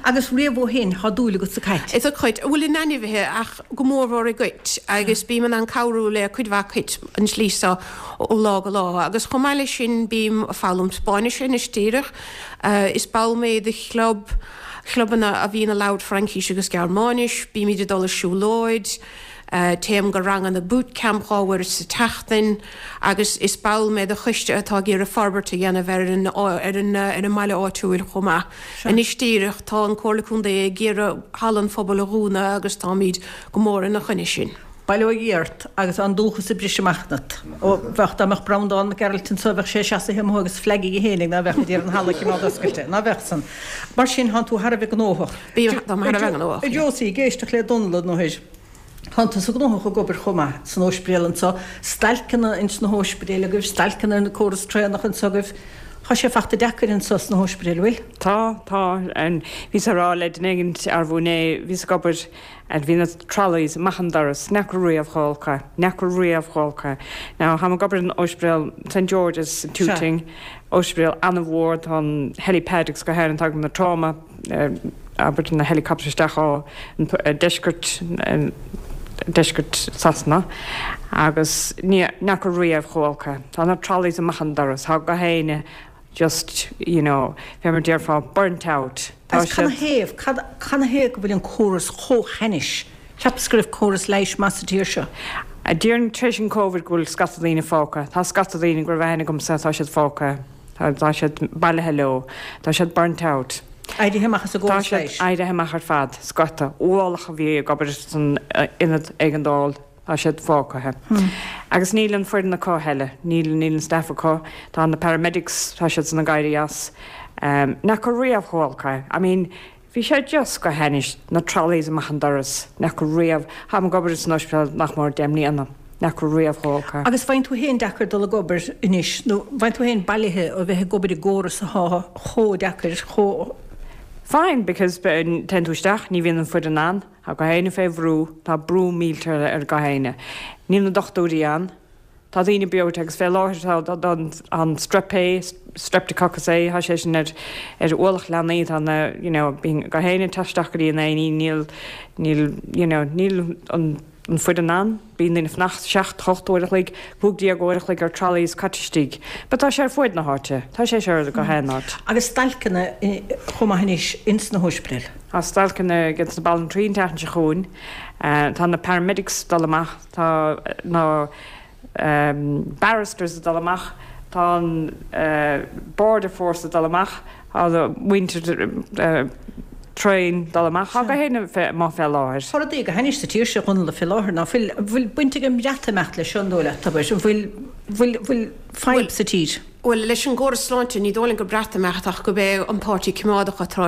Agus riamh ó shin, thá dúil agat sa cait. Is i gcait, bhuel in ainmhithe ach go mórmhór i gcait agus bím in ann cabhrú le cuid mhaith cait an tslí seo ó lá go lá. Agus chomh maith leis sin bím ag foghlaim Spáinnise anois díreach. Is ball mé de chlub, chlubanna a bhíonn ag labhairt Fraincís agus Gearmáinis. Bímid ag dul ar siúlóid. Téim go ranganna boot camp 2 uair sa tseachtain agus is ball mé de choiste atá ag iarraidh forbairt a dhéanamh ar an ar an ar an mbaile áitiúil chomh maith. Anois díreach tá an Comhairle Contae ag iarraidh Halla an Phobail a dhúnadh agus táimid go mór ina choinne sin. Bail ó Dhia ort agus an dúchas ag briseadh amach ionat. Ó, bheadh, dá mbeadh Breandán Mac Gearailt anso bheadh sé seasaithe amuigh agus flag aige fhéinig ná bheadh ag iarraidh an halla a chimeád oscailte, ná bheadh san. Mar sin, thánn tú thar a bheith gnóthach. Bím, táim thar a bheith gnóthach. A Josie, ag éisteacht le Donnla nó thoir. Tánn tusa gnóthach ag obair chomh maith san óispidéal anso, stailceanna ins na hóispidéil agaibh, stailceanna ar na córas traenach anso agaibh. Tá sé fachta deacair anso sna hóispidéil, an bhfuil? Tá, tá. Bhíos ag rá le duine éigint arbú inné, bhíos ag obair and bhí na trolleys amach an doras, n'fheaca riamh chomh holc é, n'fheaca riamh chomh holc é. Now, táim ag obair in óispidéal St George's in Tooting, óispidéal an-mhór, tá an helipad agus go háirithe tagann na trauma, abair na helicopters isteach ó deisceart. deisceart Sasana agus ní fhaca riamh chomh olc é. Tá na trolleys amach an doras, tá gach éinne just, you know, fé mar déarfá, burnt out. Tá Agus cad 'na thaobh, cad, cad 'na thaobh go bhfuil an córas chomh hainnis? Cheapas go raibh córas leighis maith sa tír seo. Déarfainn tar éis an Covid go bhfuil scata daoine fágtha. Tá scata daoine go raibh aithne agamsa, tá siad fágtha. Tá, tá siad bailithe leo. Tá siad burnt out. Éirithe amach as an Tá gcóras siad leighis. éirithe amach ar fad, scata. Ualach a bhí ag obair san ionad éigeandáil, tá siad fágtha. Agus níl an foireann acu a thuilleadh, níl, níl an staff acu. Tá na paramedics, tá siad san ag éirí as. Nach raibh riamh chomh olc é. I mean, bhí sé just go hainnis, na trolleys amach an doras, nach raibh riamh, táim ag obair san ospidéal nach mór 10 mbliana. Nach raibh riamh chomh olc é. Agus faigheann tú féin deacair dul ag obair anois, nó faigheann tú féin bailithe ó bheith ag obair i gcóras atá chomh deacair, chomh. Fine, because téann tú isteach, ní bhíonn an foireann ann, tá gach éinne fé bhrú, tá brú millteach ar gach éinne. Níl na dochtúirí ann, tá daoine breoite agus fé láthair tá an strep A, streptococcus A, tá sé sin ar ar ualach leanaí, tá na, you know, bíonn gach éinne ag teacht isteach go dtí an A&E, níl, níl, you know, níl an. an foireann ann. Bíonn daoine ag fanacht 7, 8 uair a chloig, 15 uair a chloig ar trolleys caite istigh. But tá sé ar fuaid na háite. Tá sé seo ar gach aon áit. Agus stailceanna chomh maith anois ins na hóispidéil. Tá stailceanna ag na banaltraí an tseachtain seo chugainn. Tá na paramedics ag dul amach. Tá na. barristers ag dul amach, tá an border force ag dul amach, tá muintir traein ag dul amach, tá gach éinne amuigh fé láthair. Tá rudaí go hainnis sa tír seo, a Dhónaill, fé láthair, ná fuil, an bhfuil baint ag an mBreatimeacht leis seo, an dóigh leat, abair, an bhfuil, bhfuil, bhfuil fadhb sa tír? Bhuel, leis an gcóras sláinte, ní dóigh liom gur Breatimeacht ach gurb é an Páirtí Coimeádach atá tar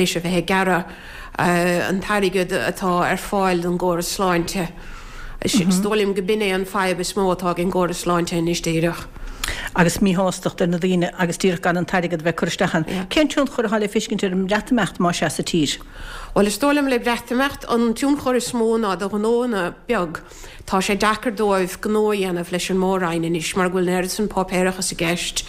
éis a bheith ag gearradh an t-airgead atá ar fáil don gcóras sláinte. Is dóigh liom go b'in é an fadhb is mó atá ag an gcóras sláinte anois díreach. Agus míshástacht ar na daoine agus díreach gan an t-airgead a bheith curtha isteach ann. Cén tionchar atá le feiscint ar an mBreatimeacht más ea sa tír? Bhuel, is dóigh liom le Breatimeacht an tionchar is mó ná do ghnóanna beag. Tá sé deacair dóibh gnó a dhéanamh leis an Mór-Roinn anois mar go bhfuil an oiread san páipéarachas i gceist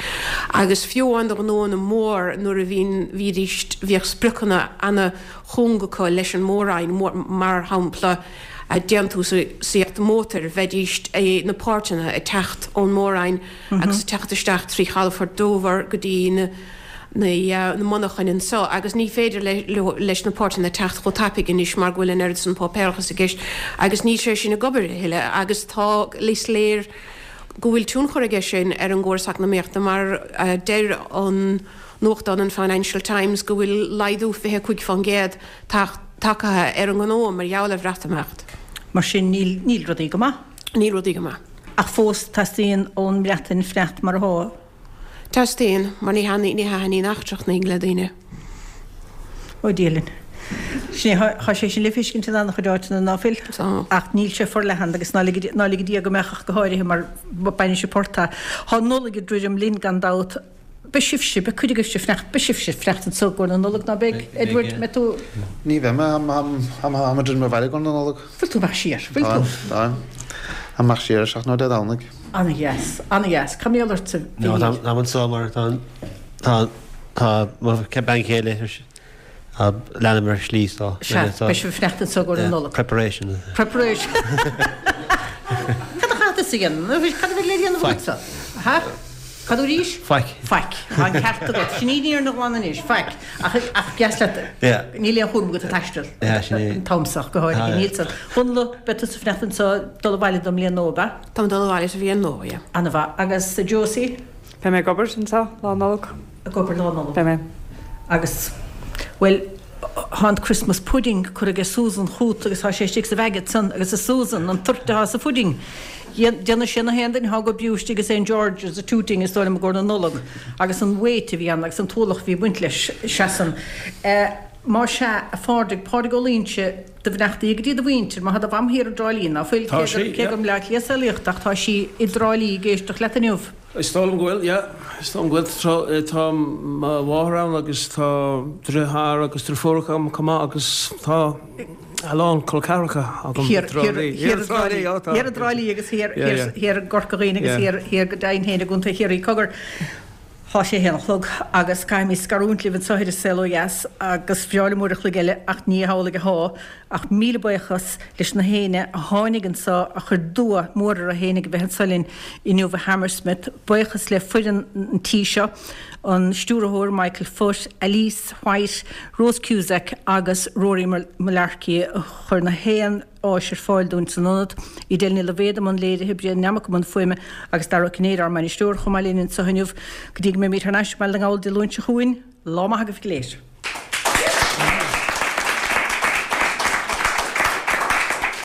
agus fiú amháin do ghnóanna mór nuair a bhíonn, bhídís, bhíodh spriocanna ana-chúng acu leis an Mór-Roinn, mar shampla déantúsaíocht mótair, bheidís, na páirteanna ag teacht ón Mór-Roinn agus ag teacht isteach trí chalafort Dover go dtí na. na monarchain anseo agus ní féidir leis na páirteanna teacht chomh tapaidh anois mar go bhfuil an oiread san páipéarachas i gceist agus níl sé sin ag obair a thuilleadh agus tá, is léir go bhfuil tionchar aige sin ar an gcóras eacnamaíochta mar deir an nuachtán an Financial Times go bhfuil laghdú 25% tagtha ar an ngnó mar gheall ar Bhreatimeacht. Mar sin níl, níl rudaí go maith. Níl rudaí go maith. Ach fós teastaíonn ón mBreatain fanacht mar atá. Teastaíonn, mar ní ní thaitníonn eachtrach le daoine. Ó Dia linn. Sin é, tá sé sin le feiscint in an-chuid áiteanna, ná fuil? Tá. Ach níl sé forleathan agus ná lig ná lige Dia go mbeadh ach go háirithe mar baineann sé port as. Tá an Nollaig ag druidim linn gan dabht. Beidh sibhse, beidh cuid agaibhse fanacht, beidh sibhse fanacht anseo i gcomhair na Nollag, ná beidh? Edward, mbeidh tú? Ní bheidh mé, táim ag druidim abhaile i gcomhair na Nollag. Bhfuil tú amach siar? Bhfuil tú? Táim, táim. Amach siar ar seacht nó Dé Domhnaigh. Ana-dheas, ana-dheas. Cá mbeidh ort a No, Mhíchíl? táim anseo mar tá tá tá mo bean chéile tá leanbh ar slí so Sea, beidh sibh ag fanacht anseo i gcomhair na Nollag. Preparation. Preparation. Cad a chaithfidh tusa a dhéanamh? Cad a bheidh le déanamh agatsa? Ha? Cad arís? Faic. Faic. Tá an ceart agat. Sin í an fhírinne ghlan anois. Faic. Ach, ach deas leat. Yeah. Níl aon chúram agat ag taisteal. Yeah, sin é. An t-am seo go háirithe. Níl san. Dhónaill, beidh tusa ag fanacht anseo dul abhaile don mbliain nua, ab ea? Táim ag dul abhaile sa bhliain nua, yeah. Ana-mhaith. Agus Josie? Beidh mé ag obair anseo Lá Nollag. Ag obair Lá Nollag. Beidh mé. Agus, bhuel, tá an Christmas pudding curtha aige Susan chút agus tá sé istigh sa bhag ansan agus a Susan, an toirt atá sa phudding, déanadh sé na haon duine atá ag oibriú istigh i St George's i Tooting is dóigh liom i gcomhair na Nollag agus an weight a bhí ann agus an t-ualach a bhí ag baint leis, seasann. Más ea, a Phádraig, Pádraig Ó Loingsigh, Do bheannachtaí go dtí do mhuintir, má tá do mham thiar i dTrá Lí, ná fuil, Tá sí, cé yeah. gur i mBleá Cliath saolaíodh ach tá sí i dTrá Lí ag éisteacht leat inniu. Is dóigh liom go bhfuil, yeah. Is dóigh liom go bhfuil. Tá mo mháthair ann agus tá driotháir agus driofúracha agam chomh maith agus tá a lán col ceathracha agam i dTrá Lí. Thiar i dTrá Lí, ó tá. Thiar i dTrá Lí agus thiar i gCorca Dhuibhne agus thiar go deimhin féin i gContae Chiarraí. Cogar. Tá sé a haon a chlog agus caithfimid scarúint libh anseo ar An Saol Ó Dheas agus bhreá liom uair a chloig eile ach ní hamhlaidh athá ach míle buíochas leis na héinne a tháinig anseo a chuir dua mór orthu fhéinig a bheith anseo linn inniu i Hammersmith. Buíochas le foireann an tí seo, an stiúrthóir Michael Foot, Alice White, Rose Cusack agus Rory Mullarkey a chuir na haon áis ar fáil dúinn san ionad. Edel Ní Loibhéad i mbun léirithe, Brian Nammock i mbun fuaime agus Dara Ó Cinnéide ár mbainisteoir chomh maith linn anseo inniu. Go dtí go mbeimid thar n-ais i mBaile na nGall Dé Luain seo chugainn, lá maith agaibh go léir.